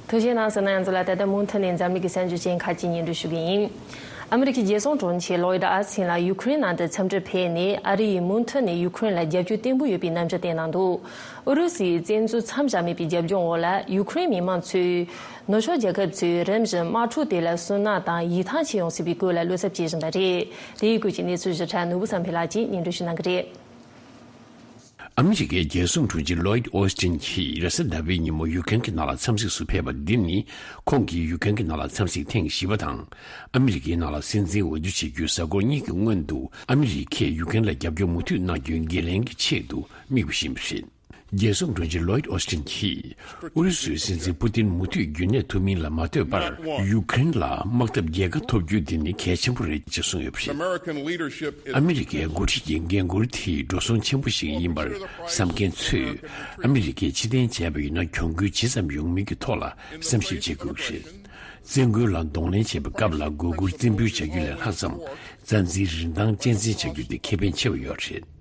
ཐུགས་རྗེ་གནང་ཟེར་ན། ང་ཚོ་ལ་ད་ལྟ་མུ་མཐུད་ནས་འཛམ་གླིང་གི་གསར་འགྱུར་ཅན་ཁག་ཅིག་སྙན་སྒྲོན་ཞུ་གི་ཡིན། ཨ་མི་རི་ཀའི་རྒྱལ་སྲུང་དྲུང་ཆེ་ལོ་ཡིད་ཨ་སིན་ལགས་ཡུ་ཁུ་རེན་ནང་དུ་འཚམས་འདྲིར་ཕེབས་ནས། ཨ་རི་ཡིས་མུ་མཐུད་ནས་ཡུ་ཁུ་རེན་ལ་རྒྱབ་སྐྱོར་བརྟན་པོ་ཡོད་པའི་རྣམ་འགྱུར་བསྟན་གནང་འདུག་ཨུ་རུ་སུའི་བཙན་འཛུལ་མཚམས་བཞག་མེད་པའི་རྒྱབ་ལྗོངས་འོག་ལ། ཡུ་ཁུ་རེན་མི་མང་ཚོས་ནུབ་ཕྱོགས་རྒྱལ་ཁབ་ཚོས་རིམ་བཞིན་དམག་འཁྲུག་དེ་ལ་སུན་སྣང་དང་ཡིད་ཐང་ཆད་ཡོང་སྲིད་པའི་སྐོར་ལ་བློ་འཚབ་བྱེད་བཞིན་པ་རེད། དེའི་སྐོར་གྱི་གནས་ཚུལ་ཞིབ་ཕྲ་ནོར་བུ་བསམ་འཕེལ་ལགས་ཀྱིས་སྙན་སྒྲོན་ཞུ་གནང་གི་རེད། ཨ་མི་རི་ཀའི་རྒྱལ་སྲུང་དྲུང་ཆེ་ལོ་ཡིད་ཨོ་སི་ཊིན་གྱིས་རེས་གཟའ་ཟླ་བའི་ཉིན་མོ་ཡུ་ཀེན་གྱི་ནང་ལ་འཚམས་གཟིགས་སུ་ཕེབས་པ་འདི་ནི། ཁོང་གིས་ཡུ་ཀེན་གྱི་ནང་ལ་འཚམས་གཟིགས་ཐེངས་བཞི་པ་དང་། ཨ་མི་རི་ཀའི་ནང་ལ་སྲིད་འཛིན་འོས་བསྡུ་བྱེད་རྒྱུའི་གཟའ་འཁོར་གཉིས་ཀྱི་སྔོན་དུ། ཨ་མི་རི་ཀས་ཡུ་ཀེན་ལ་རྒྱབ་སྐྱོར་མུ་མཐུད་གནང་རྒྱུའི་འགན་ལེན་གྱི་ཆེད་དུ་དམིགས་པ་བཞིན་པ་རེད། རྒྱལ་སྲུང་དྲུང་ཆེ་ལོ་ཡིད་ཨོ་སི་ཊིན་གྱིས། ཨུ་རུ་སུའི་སྲིད་འཛིན་པུ་ཏིན་མུ་མཐུད་རྒྱུན་གནས་ཐུབ་མིན་ལ་མ་ལྟོས་པར། ཡུ་ཀེ་རེན་ལ་དམག་འཐབ་རྒྱལ་ཁ་ཐོབ་རྒྱུ་དེ་ནི་གལ་ཆེན་པོ་རེད་ཅེས་གསུངས་ཡོད་པ་རེད། ཨ་མི་རི་ཀའི་འགོ་ཁྲིད་ཀྱི་འགན་འཁུར་དེ་འགྲོ་སོང་ཆེན་པོ་ཞིག་ཡིན་པར་བསམ་མཁན་ཚོས། ཨ་མི་རི་ཀས་ཕྱིར་འཐེན་བྱས་པ་ཡིན་ན་གྱོང་གུན་ཇི་ཙམ་ཡོང་མིན་གྱི་ཐོག་ལ་བསམ་ཞིབ་བྱེད་དགོས་ཀྱི་རེད། བཙན་རྒོལ་ལ་གདོང་ལེན་བྱེད་པའི་སྐབས་ལ་མགོ་སྒུར་རྩེད་འབུལ་བྱ་རྒྱུ་ལས་ལྷག་ཙམ། བཙན་འཛུལ་རིན་ཐང་གཅེས་འཛིན་བྱ་རྒྱུ་དེ་ཁེ་ཕན་ཆེ་བ་ཡོད་རེད།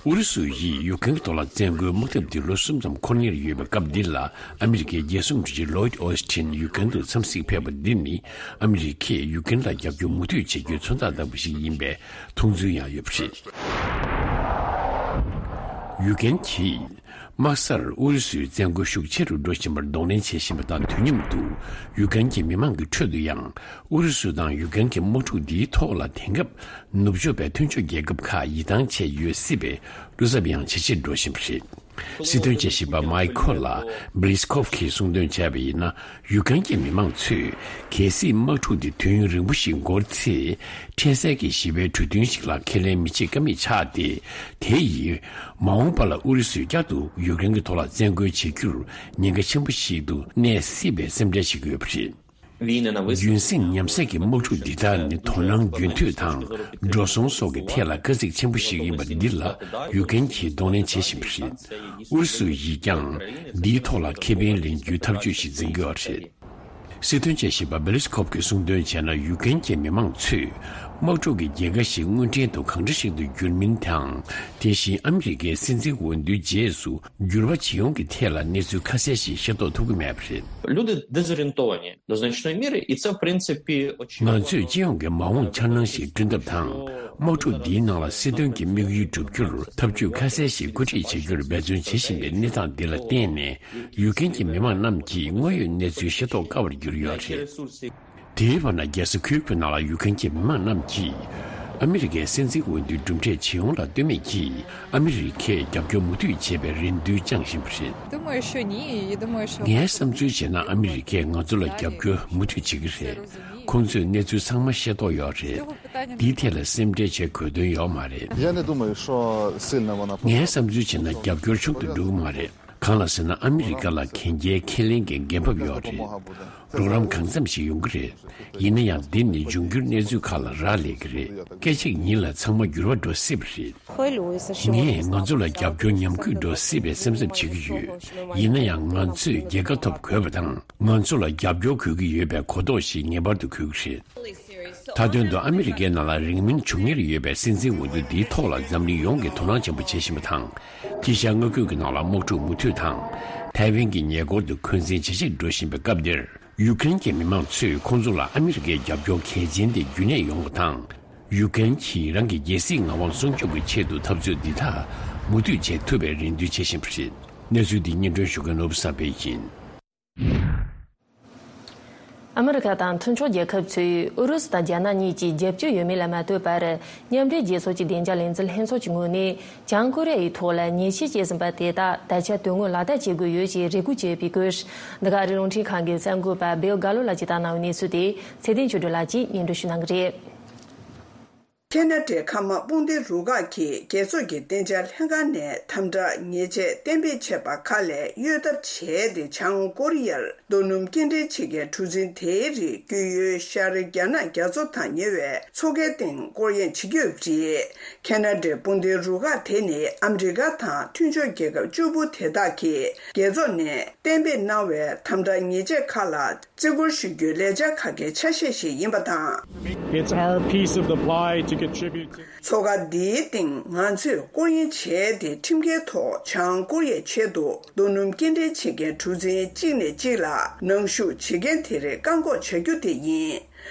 ཨུ་རུ་སུ་ཡིས་ཡུ་ཀེན་གྱི་ཐོག་ལ་བཙན་རྒོལ་དམག་འཐབ་འདི་ལོ་གསུམ་ཙམ་འཁོར་ཉེར་ཡོད་པའི་སྐབས་འདི་ལ། ཨ་མི་རི་ཀའི་རྒྱལ་སྲུང་དྲུང་ཆེ་ལོ་ཡིད་ཨོ་སི་ཊིན་ཡུ་ཀེན་དུ་འཚམས་གཟིགས་ཕེབས་པ་འདི་ནི། ཨ་མི་རི་ཀས་ཡུ་ཀེན་ལ་རྒྱབ་སྐྱོར་མུ་མཐུད་བྱེད་རྒྱུའི་མཚོན་རྟགས་ལྟ་བུ་ཞིག་ཡིན་པའི་མཐོང་ཚུལ་ཡང་ཡོད་པ་རེད། ཡུ་ཀེན་གྱིས་དམག་སར་ཨུ་རུ་སུའི་བཙན་རྒོལ་ཤུགས་ཆེ་རུ་འགྲོ་བཞིན་པར་གདོང་ལེན་བྱེད་བཞིན་པ་དང་དུས་མཉམ་དུ། ཡུ་ཀེན་གྱི་མི་མང་གི་ཁྲོད་དུ་ཡང་ཨུ་རུ་སུ་དང་ཡུ་ཀེན་གྱི་དམག་འཁྲུག་འདིའི་ཐོག་ལ་དེང་སྐབས་ནུབ་ཕྱོགས་པའི་མཐུན་ཕྱོགས་རྒྱལ་ཁབ་ཁག་ཡིད་ཐང་ཆད་ཡོད་སྲིད་པའི་བློ་འཚབ་ཡང་ཇེ་ཆེར་འགྲོ་བཞིན་པ་རེད། སྲིད་དོན་དཔྱད་ཞིབ་པ་མའི་ཁོ་ལ་བྷི་ལི་སི་ཁོབ་ཀྱིས་གསུངས་དོན་བྱས་པ་ཡིན་ན། ཡུ་ཀེན་གྱི་མི་མང་ཚོས་གལ་སྲིད་དམག་འཁྲུག་འདི་དུས་ཡུན་རིང་པོ་ཞིག་འགོར་ཚེ། འཕྲལ་སེལ་གྱི་ཞི་བའི་གྲོས་མཐུན་ཞིག་ལ་ཁས་ལེན་མི་བྱེད་ཀ་མེད་ཆགས་ཏེ། དེ་ཡིས་མ་འོངས་པ་ལ་ཨུ་རུ་སུས་བསྐྱར་དུ་ཡུཀ་རེན་གྱི་ཐོག་ལ་བཙན་རྒོལ་བྱེད་རྒྱུར་ཉེན་ཁ་ཆེན་པོ་ཞིག་ཏུ་གནས་སྲིད་པའི་སེམས་ཁྲལ་བྱེད་ཀྱི་ཡོད་པ་རེད། རྒྱུན་སྲིང་ཉམས་སད་ཀྱི་དམག་འཁྲུག་འདི་དག་ནི་དོ་སྣང་རྒྱུན་མཐུད་དང་འགྲོ་སོང་སོགས་ཀྱི་ཐད་ལ་དཀའ་ཚེགས་ཆེན་པོ་ཞིག་ཡིན་པ་འདི་ལ་ཡུཀ་རེན་གྱིས་གདོང་ལེན་བྱེད་བཞིན་པ་རེད། ཨུ་རུ་སུ་ཡིས་ཀྱང་འདིའི་ཐོག་ལ་ཁེ་ཕན་ལེན་རྒྱུའི་ཐབས་ཇུས་ཤིག་འཛིན་གྱི་ཡོད་རེད། སྲིད་དོན་དཔྱད་ཞིབ་པ་བྷེ་ལི་སི་ཁོབ་ཀྱིས་གསུངས་དོན་བྱས་ན། ཡུཀ་རེན་གྱི་མི་མང་ཚོས་དམག་འཁྲུག་གི་རྒྱལ་ཁ་ཞིག་དངོས་འབྲེལ་དུ་གང་འདྲ་ཞིག་ཏུ་འགྱུར་མིན་དང་། དེ་བཞིན་ཨ་མི་རི་ཀའི་སྲིད་འཛིན་འོས་བསྡུའི་རྗེས་སུ་འགྱུར་བ་ཇི་ཡོང་གི་ཐད་ལ་གནས་ཚུལ་ཁ་གསལ་ཞིག་ཤེས་རྟོགས་ཐུབ་ཀྱི་མེད་པ་རེད། Люди дезорієнтовані до значної міри, і це, в принципі, очевидно. ང་ཚོས་སྤྱི་ཡོངས་ཀྱི་མ་འོངས་འཆར་སྣང་ཞིག་བསྐྲུན་ཐབས་དང་། དམག་འཁྲུག་འདིའི་ནང་ལ་སྲིད་དོན་གྱི་དམིགས་ཡུལ་བསྒྲུབ་རྒྱུར་ཐབས་ཇུས་ཁ་གསལ་ཞིག་བཀོད་སྒྲིག་བྱེད་རྒྱུར་འབད་བརྩོན་བྱེད་བཞིན་པའི་གནས་སྟངས་འདི་ལ་བརྟེན་ནས། ཡུཀ་རེན་གྱི་མི་མང་རྣམས་ཀྱིས་དངོས་ཡོད་གནས་ཚུལ་ཤེས་རྟོགས་དཀའ་བར་གྱུར་ཡོད་རེད། དེའི་བར་ན། རྒྱལ་ས་ཁིའུ་ཁི་ནང་ལ་ཡུཀ་རེན་གྱི་མི་མང་རྣམས་ཀྱིས་ཨ་མི་རི་ཀའི་སྲིད་འཛིན་འོས་བསྡུའི་གྲུབ་འབྲས་ཇི་ཡོང་ལ་ལྟོས་མེད་ཀྱིས། ཨ་མི་རི་ཀས་རྒྱབ་སྐྱོར་མུ་མཐུད་བྱེད་པའི་རེ་འདུན་བཅངས་བཞིན་པ་རེད། Думаю, что ні, і думаю, що ངའི་བསམ་ཚུལ་བྱས་ན། ཨ་མི་རི་ཀས་ང་ཚོ་ལ་རྒྱབ་སྐྱོར་མུ་མཐུད་བྱེད་ཀྱི་རེད། ཁོང་ཚོས་གནས་ཚུལ་ཚང་མ་ཤེས་རྟོགས་ཡོད་རེད། འདིའི་ཐད་ལ་སེམས་ཁྲལ་བྱེད་དགོས་དོན་ཡོད་མ་རེད། Я не думаю, що сильно вона ངའི་བསམ་ཚུལ་བྱས་ན། རྒྱབ་སྐྱོར་ཆུང་དུ་འགྲོ་གི་མ་རེད། གང་ལ་ཟེར་ན། ཨ་མི་རི་ཀ་ལ་གན་རྒྱའི་ཁས་ལེན་གྱི་འགན་བབ་ཡོད་རེད། རོགས་རམ་གང་འཚམ་ཞིག་ཡོང་གི་རེད། ཡིན་ན་ཡང་། འདི་ནི་འབྱུང་འགྱུར་གནས་ཚུལ་ཁག་ལ་རག་ལས་ཀྱི་རེད། སྐད་ཅིག་ཉིད་ལ་ཚང་མ་འགྱུར་བ་འགྲོ་སྲིད་པ་རེད། ངས་ང་ཚོ་ལ་རྒྱབ་སྐྱོར་ཉམས་རྒུད་འགྲོ་སྲིད་པའི་སེམས་འཚབ་བྱེད་ཀྱི་ཡོད། ཡིན་ན་ཡང་། ང་ཚོས་རྒྱལ་ཁ་ཐོབ་དགོས་པ་དང་། ང་ཚོ་ལ་རྒྱབ་སྐྱོར་དགོས་ཀྱི་ཡོད་པའི་གོ་རྟོགས་ཤིག་ངེས་པར་དུ་དགོས་ཀྱི་རེད། མཐའ་དོན་དུ། ཨ་མི་རི་ཀའི་ནང་ལ་རིང་མིན་འབྱུང་ཉེར་ཡོད་པའི་སྲིད་འཛིན་འོས་བསྡུ་འདིའི་ཐོག་ལ་འཛམ་གླིང་ཡོངས་ཀྱིས་དོ་སྣང་ཆེན་པོ་བྱེད་བཞིན་པ་དང་། དཀྱིལ་ཤར་མངའ་ཁུལ་གྱི་ནང་ལ་དམག་འཁྲུག་མུ་མཐུད་དང་། ཐའེ་ཝན་གྱི་ཉེ་འཁོར་དུ་འཁོན་འཛིན་ཇེ་ཆེར་འགྲོ་བཞིན་པའི་སྐབས་འདིར། ཡུཀ་རེན་གྱི་མི་མང་ཚོས་ཁོང་ཚོ་ལ་ཨ་མི་རི་ཀའི་རྒྱབ་སྐྱོར་གལ་ཆེན་དེ་རྒྱུན་གནས་ཡོང་བ་དང་། ཡུཀ་རེན་གྱིས་རང་གི་རྒྱལ་སྲིད་ངག་དབང་སྲུང་སྐྱོབ་ཀྱི་ཆེད་དུ་འཐབ་རྩོད་འདི་དག་མུ་མཐུད་བྱེད་ཐུབ་པའི་རེ་འདུན་བྱེད་བཞིན་པ་རེད། གནས་ཚུལ་འདི་སྙན་སྒྲོན་ཞུ་མཁན་ནོར་བུ་བསམ་འཕེལ་ཡིན། ཨ་མི་རི་ཀ་དང་མཐུན་ཕྱོགས་རྒྱལ་ཁབ་ཚོས་ཨུ་རུ་སུ་དང་རྒྱ་ནག་གཉིས་ཀྱིས་རྒྱབ་སྐྱོར་ཡོད་མེད་ལ་མ་ལྟོས་པར། མཉམ་འབྲེལ་རྒྱལ་ཚོགས་ཀྱི་བདེ་འཇགས་ལས་འཛིན་ལྷན་ཚོགས་ཀྱི་ངོས་ནས་བྱང་ཀོ་རི་ཡ་ཡི་ཐོག་ལ་ཉེས་ཆད་བཅད་ཟིན་པ་དེ་དག་ད་ཆ་དོན་དངོས་ལག་བསྟར་བྱེད་དགོས་ཡོད་ཅེས་རེ་སྐུལ་བྱས་ཡོད་པའི་སྐོར། འདི་ག་རི་རླུང་འཕྲིན་ཁང་གི་གསར་འགོད་པ་སྦེལ་གྷ་ལོ་ལགས་ཀྱིས་བཏང་གནང་བའི་གནས་ཚུལ་དེ་ཚེ་བརྟན་ཆོས་སྒྲོན་ལགས་ཀྱིས་སྙན་སྒྲོན་ཞུ་གནང་གི་རེད། ཁེ་ན་ཌའི་མཁའ་དམག་དཔུང་སྡེའི་རུ་ཁག་གིས་རྒྱལ་ཚོགས་ཀྱི་བདེ་འཇགས་ལྷན་ཁང་ནས་དམ་དྲག་ཉེས་ཆད་གཏན་འབེབས་བྱས་པ་ཁག་ལས་གཡོལ་ཐབས་བྱས་ཏེ། བྱང་ཀོ་རི་ཡར་རྡོ་སྣུམ་སྐྱེལ་འདྲེན་བྱེད་མཁན་གྲུ་གཟིངས་དེའི་རིགས་བསྐྱོད་ཡུལ་ཤར་རྒྱ་ནག་རྒྱ་མཚོ་དང་ཉེ་བའི་མཚོ་ཁའི་སྟེང་སྐོར་གཡེང་བྱེད་ཀྱི་ཡོད་པ་རེད། ཁེ་ན་ཌའི་དཔུང་སྡེའི་རུ་ཁག་དེ་ནི་ཨ་མི་རི་ཀ་དང་མཐུན་ཕྱོགས་རྒྱལ་ཁབ་བཅུ་པོ་དེ་དག་གིས་རྒྱལ་ཚོགས་ནས་གཏན་འབེབས་གནང་བའི་དམ་དྲག་ཉེས་ཆད་ཁག་ལ་བརྩི་བཀུར་ཞུ་རྒྱུའི་ལས་འཆར་ཁག་གི་ཆ་ཤས་ཤིག་ཡིན་པ་དང་། It's our piece of the pie to contribute to. མཚོ་ཁ་འདིའི་སྟེང་ང་ཚོས་སྐོར་གཡེང་བྱས་ཏེ། ཁྲིམས་འགལ་ཐོག་བྱང་ཀོ་རི་ཡའི་ཆེད་དུ་རྡོ་སྣུམ་སྐྱེལ་འདྲེན་བྱེད་མཁན་གྲུ་གཟིངས་གཅིག་ནས་གཅིག་ལ་ནང་ཞུགས་བྱེད་མཁན་དེ་རིགས་བཀག་འགོག་བྱ་རྒྱུ་དེ་ཡིན།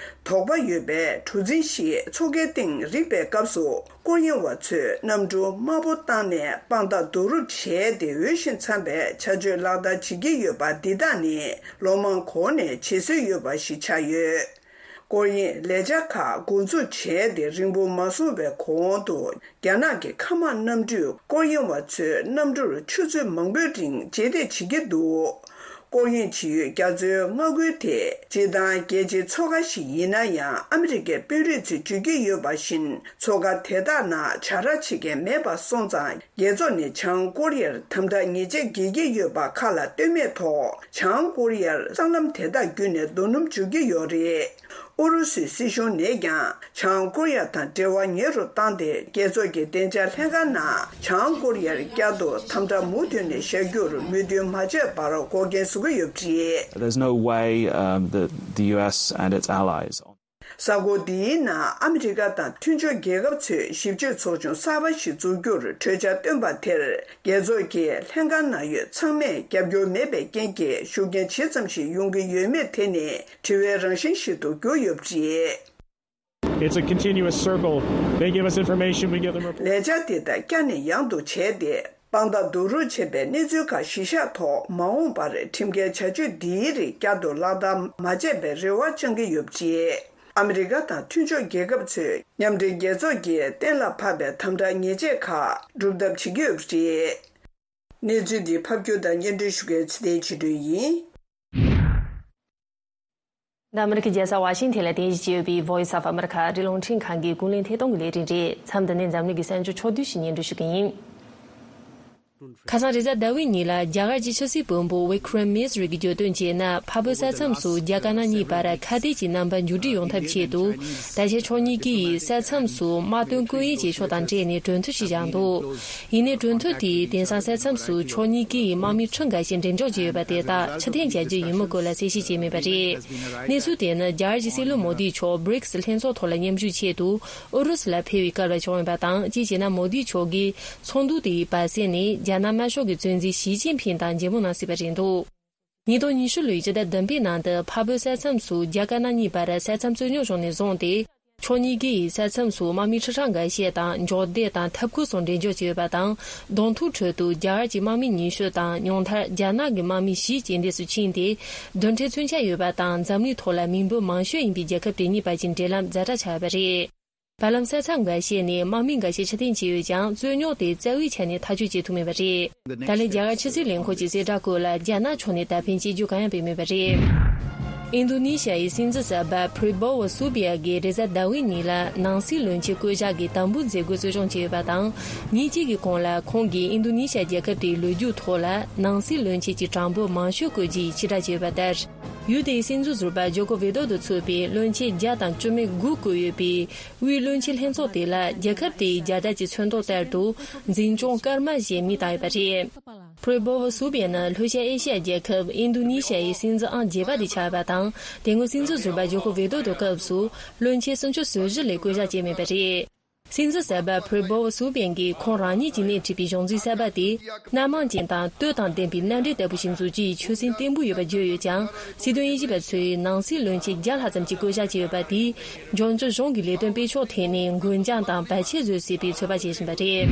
དོགས་པ་ཡོད་པའི་གྲུ་གཟིངས་ཤིག་མཚོ་ཁའི་སྟེང་རིག་པའི་སྐབས་སུ། སྐོར་གཡེང་བ་ཚོས་གནམ་གྲུ་དམའ་པོ་བཏང་ནས་དཔང་རྟགས་བསྡུ་རུབ་བྱས་ཏེ། འོས་ཤིང་འཚམ་པའི་བྱ་སྤྱོད་ལག་བསྟར་བྱེད་ཀྱི་ཡོད་པ་འདི་དག་ནི་ལོ་མང་གོང་ནས་བྱེད་སྲོལ་ཡོད་པ་ཞིག་ཆགས་ཡོད། སྐོར་གཡེང་ལས་འཆར་ཁག་འགོ་འཛུགས་བྱས་ཏེ་རིང་པོ་མ་སོང་བའི་གོང་དུ། རྒྱ་ནག་གི་མཁའ་དམག་གནམ་གྲུས་སྐོར་གཡེང་བ་ཚོའི་གནམ་གྲུར་ཆུ་ཚོད་མང་པོའི་རིང་རྗེས་འདེད་བྱེད་ཀྱི་འདུག་སྐོར་གཡེང་བྱེད་ཡུལ་རྒྱ་མཚོའི་མངའ་ཁུལ་དེ། སྤྱིར་བཏང་རྒྱལ་སྤྱིའི་མཚོ་ཁ་ཞིག་ཡིན་ན་ཡང་། ཨ་མི་རི་ཀའི་དཔོན་རིགས་ཚོས་བརྗོད་ཀྱི་ཡོད་པ་བཞིན། མཚོ་ཁ་དེ་དག་ནང་བྱ་ར་བྱེད་མཁན་མེད་པ་སོང་ཙང་། རྒྱལ་ཚོགས་ནས་བྱང་ཀོ་རི་ཡར་དམ་དྲག་ཉེས་ཆད་འགེལ་གྱི་ཡོད་པ་ཁག་ལ་ལྟོས་མེད་ཐོག་བྱང་ཀོ་རི་ཡར་སྲང་ལམ་དེ་དག་བརྒྱུད་ནས་རྡོ་སྣུམ་འཇུག་གི་ཡོད་རེད། ཨུ་རུ་སུའི་སྲིད་གཞུང་ནས་ཀྱང་། བྱང་ཀོ་རི་ཡ་དང་འབྲེལ་བ་ཉེ་རུ་བཏང་སྟེ། རྒྱལ་ཚོགས་ཀྱི་བདེ་འཇགས་ལྷན་ཁང་ནང་བྱང་ཀོ་རི་ཡར་བསྐྱར་དུ་དམ་དྲག་མུ་མཐུད་ནས་བཞག་རྒྱུར་མོས་མཐུན་མ་བྱས་པར་འགོག་རྐྱེན་བཟོ་གི་ཡོད་པ་རེད། There's no way, um, that the U S and its allies གཟའ་འཁོར་འདིའི་ནང་ཨ་མི་རི་ཀ་དང་མཐུན་ཕྱོགས་རྒྱལ་ཁབ་ཚོས་ཞིབ་དཔྱོད་ཚོགས་ཆུང་གསར་པ་ཞིག་འཛུགས་རྒྱུར་གྲོས་འཆར་བཏོན་པ་དེར། རྒྱལ་ཚོགས་ཀྱི་ལྷན་ཁང་ནང་ཡོད་ཚང་མས་རྒྱབ་སྐྱོར་མེད་པའི་རྐྱེན་གྱིས། ཤུགས་རྐྱེན་ཇི་ཙམ་ཞིག་ཡོང་གི་ཡོད་མེད་དེ་ནི་དྲི་བའི་རང་བཞིན་ཞིག་ཏུ་གྱུར་ཡོད་པ་རེད། It's a continuous circle. They give us information, we give them reports. ལས་འཆར་དེ་དག་བསྐྱར་ནས་ཡང་དུ་བྱས་ཏེ། དཔང་རྟགས་བསྡུ་རུབ་བྱས་པའི་གནས་ཚུལ་ཁག་གཞི་བཞག་ཐོག་མ་འོངས་པར་ཁྲིམས་འགལ་བྱ་སྤྱོད་འདིའི་རིགས་བསྐྱར་དུ་ལག་བསྟར་མ་བྱས་པའི་རེ་བ་བཅང་གི་ཡོད་པ་རེད། ཨ་མི་རི་ཀ་དང་མཐུན་ཕྱོགས་རྒྱལ་ཁབ་ཚོས་མཉམ་འབྲེལ་རྒྱལ་ཚོགས་ཀྱིས་གཏན་ལ་ཕབ་པའི་དམ་དྲག་ཉེས་ཆད་ཁག་སྒྲུབ་ཐབས་བྱེད་ཀྱི་ཡོད་པ་རེད། གནས་ཚུལ་འདི་ཕབ་སྒྱུར་དང་སྙན་སྒྲོན་ཞུ་མཁན་ཚེ་བརྟན་ཆོས་སྒྲོན་ཡིན། འདི་ཨ་མི་རི་ཀའི་རྒྱལ་ས་ཝ་ཤིང་ཐན་ལ་རྟེན་གཞི་བྱས་ཡོད་པའི་Voice of America རི་ཀླུང་འཕྲིན་ཁང་གི་ཀུན་གླེང་ཐད་གཏོང་གི་ལས་རིམ་རེད། མཚམས་འདི་ནས་འཛམ་གླིང་གི་གསར་འགྱུར་ཕྱོགས་བསྡུས་ཤིག་སྙན་སྒྲོན་ཞུ་གི་ཡིན། ཁ་སང་རེས་གཟའ་ཟླ་བའི་ཉིན་ལ་རྒྱ་གར་གྱི་ཕྱི་སྲིད་བློན་པོ་Vikram Misri གྱིས་བརྗོད་དོན་བྱས་ན། འཕགས་བོད་ས་མཚམས་སུ་རྒྱ་དཀར་ནག་གཉིས་བར་ཁ་གཏད་ཀྱི་རྣམ་པ་མཇུག་སྒྲིལ་ཡོང་ཐབས་ཆེད་དུ། ད་ཆ་ཕྱོགས་གཉིས་ཀྱིས་ས་མཚམས་སུ་དམག་དོན་སྐུལ་གཡེང་བྱེད་ཕྱོགས་དང་འབྲེལ་ནས་གྲོས་མཐུན་ཞིག་བཞག་འདུག་ཡིན་ནའི་གྲོས་མཐུན་དེས་དེང་སང་ས་མཚམས་སུ་ཕྱོགས་གཉིས་ཀྱི་དམག་མི་ཁྲི་འགའ་ཤས་འགྲེམས་འཇོག་བྱས་ཡོད་པ་དེ་དག་ཕྱིར་འཐེན་བྱ་རྒྱུ་ཡིན་མིན་སྐོར་ལ་གསལ་བཤད་བྱས་མེད་པ་རེད། གནས་ཚུལ་དེ་ནི་རྒྱ་གར་གྱི་སྲིད་བློན་མོ་དིས་མཆོག་བྷི་རིགས་ལྷན་ཚོགས་ཐོག་ལ་མཉམ་ཞུགས་ཆེད་དུ་ཨུ་རུ་སུ་ལ་ཕེབས་པའི་སྐབས་ལ་བྱུང་ཡོད་པ་དང་། གཅིག་བྱས་ན་མོ་དིས་མཆོག་གིས་ཚོགས་འདུ་དེའི་བར་གསེང་ནས་རྒྱ་ནག་དམར་ཤོག་གི་གཙོ་འཛིན་ཞི་ཅིན་ཕིང་དང་མཇལ་མོལ་གནང་སྲིད་པ་རེད་འདུག་ཉིས་སྟོང་ཉི་ཤུ་ལོའི་ཕྱི་ཟླ་བདུན་པའི་ནང་དུ་འཕགས་བོད་ས་མཚམས་སུ་རྒྱ་དཀར་ནག་གཉིས་བར་ས་མཚམས་རྩོད་རྙོག་བྱུང་ནས་བཟུང་སྟེ། ཕྱོགས་གཉིས་ཀས་ས་མཚམས་སུ་དམག་མི་ཁྲི་ཕྲག་འགའ་ཤས་དང་འཇོག་སྡེ་དང་ཐབ་ཁུལ་སོགས་འགྲེམས་འཇོག་བྱས་ཡོད་པ་དང་། གདོང་ཐུག་ཁྲོད་དུ་རྒྱ་གར་གྱི་དམག་མི་ཉི་ཤུ་དང་ཉུང་མཐར་རྒྱ་ནག་གི་དམག་མི་བཞི་རྐྱེན་འདས་སུ་ཕྱིན་ཏེ། རྡུལ་ཕྲན་མཚོན་ཆ་ཡོད་པ་དང་འཛམ་གླིང་ཐོག་ལ་མི་འབོར་མང་ཤོས་ཡིན་པའི་རྒྱལ་ཁབ་དེ་གཉིས་བར་གྱི་འབྲེལ་ལམ་ཛ་དྲག་ཆགས་ཡོད་པ་རེད། བར་ལམ་ས་མཚམས་འགའ་ཤས་ནས་དམག་མི་འགའ་ཤས་ཕྱིར་འཐེན་བྱས་ཡོད་ཀྱང་། རྩོད་རྙོག་དེ་རྩ་བའི་ཆ་ནས་ཐག་གཅོད་བྱེད་ཐུབ་མེད་པ་རེད། ད་ལན་རྒྱ་གར་ཕྱི་སྲིད་ལས་ཁུངས་ཀྱི་གསལ་བསྒྲགས་སྐོར་ལ་རྒྱ་ནག་ཕྱོགས་ནས་ད་ཕན་ཆེ་རྒྱུ་གང་ཡང་སྤེལ་མེད་པ་རེད། ཨིན་རྡོ་ནེ་ཤ་ཡི་སྲིད་འཛིན་གསར་པ་Prabowo Subianto གིས་རེས་གཟའ་ཟླ་བའི་ཉིན་ལ་ནང་སྲིད་བློན་ཆེན་བསྐོ་གཞག་གི་དམ་འབུལ་མཛད་སྒོའི་གཙོ་སྐྱོང་བྱས་ཡོད་པ་དང་། ཉིན་གཅིག་གི་གོང་ལ་ཁོང་གིས་ཨིན་རྡོ་ནེ་ཤ་རྒྱལ་ཁབ་དེའི་ལོ་རྒྱུས་ཐོག་ལ་ནང་སྲིད་བློན་ཆེན་གྱི་གྲངས་འབོར་མང་ཤོས་བསྐོ་རྒྱུའི་ཕྱིར་བསྒྲགས་བྱས་ཡོད་པ་ལྟར། ཡུལ་དེའི་སྲིད་འཛིན་ཟུར་པ་ཇོ་ཀོ་ཝི་དོ་དང་ཚོགས་པའི་བློན་ཆེན་བརྒྱ་དང་བཅུ་མེད་དགུ་བསྐོས་ཡོད་པའི་དབུས་བློན་ཆེན་ལྷན་ཚོགས་དེ་ལ་རྒྱལ་ཁབ་དེའི་རྒྱ་གྲགས་ཀྱི་མཚོན་རྟགས་ལྟར་དུ་འཛིན་སྐྱོང་སྐར་མ་ཞེས་མིང་བཏགས་ཡོད་པ་རེད། Prabowo Subianto ནི་ལྷོ་ཤར་ཨེ་ཤི་ཡ་རྒྱལ་ཁབ་ཨིན་རྡོ་ནེ་ཤ་ཡི་སྲིད་འཛིན་ཨང་བརྒྱད་པ་དེ་ཆགས་ཡོད་པ་དང་། དེ་སྔོན་སྲིད་འཛིན་ཟུར་པ་ཇོ་ཀོ་ཝི་དོ་དང་སྐབས་སུ་བློན་ཆེན་སུམ་ཅུ་སོ་བཞི་ལས་བསྐོ་གཞག་བྱས་མེད་པ་རེད། སྲིད་འཛིན་གསར་པ་Prabowo Subianto གིས་ཁོང་རང་ཉིད་ཀྱིས་སྣེ་ཁྲིད་པའི་གཞུང་འཛིན་གསར་པ་དེ་སྣ་མང་ཅན་དང་བསྟོད་དང་ལྡན་པའི་མནའ་འབྲེལ་ལྟ་བུ་ཞིག་འཛུགས་རྒྱུའི་ཆོད་སེམས་བརྟན་པོ་ཡོད་པ་བརྗོད་ཡོད་ཀྱང་། སྲིད་དོན་དབྱེ་ཞིབ་པ་ཚོས་ནང་སྲིད་བློན་ཆེན་བརྒྱ་ལྷག་ཙམ་ཞིག་བསྐོ་གཞག་བྱས་ཡོད་པ་དེས་འབྱོར་འབྱོར་གཞུང་གི་ལས་དོན་སྤེལ་ཕྱོགས་ཐད་ནས་འགོད་འགྱངས་དང་བར་ཆད་བཟོ་སྲིད་པའི་ཚོད་དཔག་བྱེད་བཞིན་པ་རེད།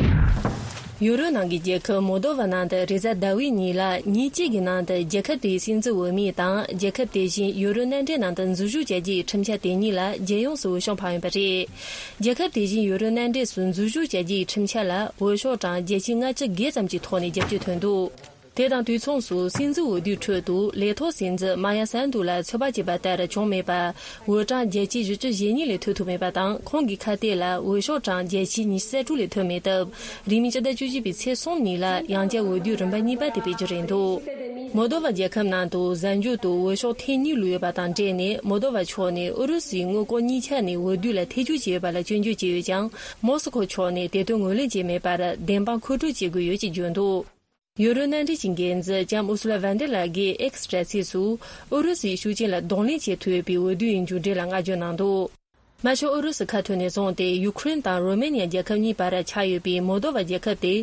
ཡུ་རོབ་ནང་གི་རྒྱལ་ཁབ་མོལ་དོ་ཝ་ནང་དུ་རེས་གཟའ་ཟླ་བའི་ཉིན་ལ་ཉིན་གཅིག་གི་ནང་དུ་རྒྱལ་ཁབ་དེའི་སྲིད་འཛིན་འོས་མི་དང་རྒྱལ་ཁབ་དེ་བཞིན་ཡུ་རོབ་མནའ་འབྲེལ་ནང་དུ་འཛུལ་ཞུགས་བྱ་རྒྱུའི་ཁྲིམས་འཆར་དེ་གཉིས་ལ་རྒྱལ་ཡོངས་སུ་འོས་ཤོག་འཕངས་ཡོད་པ་རེད། རྒྱལ་ཁབ་དེ་བཞིན་ཡུ་རོབ་མནའ་འབྲེལ་སུ་འཛུལ་ཞུགས་བྱ་རྒྱུའི་ཁྲིམས་འཆར་ལ་འོས་ཤོག་གྲངས་བརྒྱ་ཆ་ལྔ་བཅུ་བརྒལ་ཙམ་གྱི་ཐོག་ནས་རྒྱབ་སྐྱོར་ཐོན་འདུག་དེ་དང་དུས་མཚུངས་སུ་སྲིད་འཛིན་འོས་བསྡུའི་ཁྲོད་དུ་ལས་ཐོག་སྲིད་འཛིན་མ་ཡ་སན་དུ་ལ་ཚོད་དཔག་བྱས་པ་ལྟར་བྱུང་མེད་པ། འོས་གྲངས་བརྒྱ་ཆ་བཞི་བཅུ་ཞེ་གཉིས་ལས་ཐོན་ཐུབ་མེད་པ་དང་། ཁོང་གི་ཁ་གཏད་ལ་འོས་ཤོག་གྲངས་བརྒྱ་ཆ་ཉི་ཤུ་རྩ་དྲུག་ལས་ཐོན་མེད་སྟབས། རིང་མིན་ཕྱི་ཟླ་བཅུ་གཅིག་པའི་ཚེས་གསུམ་ཉིན་ལ་ཡང་བསྐྱར་འོས་བསྡུའི་རིམ་པ་གཉིས་པ་དེ་སྤེལ་རྒྱུ་རེད་འདུག་མོལ་དོ་ཝ་རྒྱལ་ཁབ་ནང་དུ་གཟའ་མཇུག་ཏུ་འོས་ཤོག་ཐེངས་གཉིས་བླུགས་ཡོད་པ་དང་འབྲེལ་ནས། མོལ་དོ་ཝ་ཕྱོགས་ནས་ཨུ་རུ་སུའི་དངུལ་ཁང་གཉིས་ཆ་ནས་འོས་བསྡུ་ལ་ཐེ་བྱུས་བྱས་ཡོད་པ་ལ་སྐྱོན་བརྗོད་བྱས་ཡོད་ཀྱང་། མོ་སི་ཁོ་ཕྱོགས་ནས་དེ་དོན་ངོས་ལེན་བྱས་མེད་པར་བདེན་དཔང་མཁོ་སྤྲོད་བྱེད་དགོས་ཡོད་ཅེས་བརྗོད་འདུག་ཡུ་རོབ་མནའ་འབྲེལ་གྱི་འགན་འཛིན་ལྕམ་ཨུ་སུ་ལ་ཝན་ཏེ་ལགས་ཀྱིས་ཨེག་སི་དྲ་ཚིགས་སུ། ཨུ་རུ་སུའི་ཤུགས་རྐྱེན་ལ་གདོང་ལེན་བྱེད་ཐུབ་པའི་འོས་བསྡུའི་མཇུག་འབྲས་ལ་བསྔགས་བརྗོད་གནང་འདུག་མ་གཞི་ཨུ་རུ་སུ་ཁ་ཐུག་ནས་བཟུང་སྟེ་ཡུ་ཁུ་རེན་དང་རོ་མེ་ནི་ཡ་རྒྱལ་ཁབ་གཉིས་བར་ཆགས་ཡོད་པའི་མོལ་དོ་ཝ་རྒྱལ་ཁབ་དེ།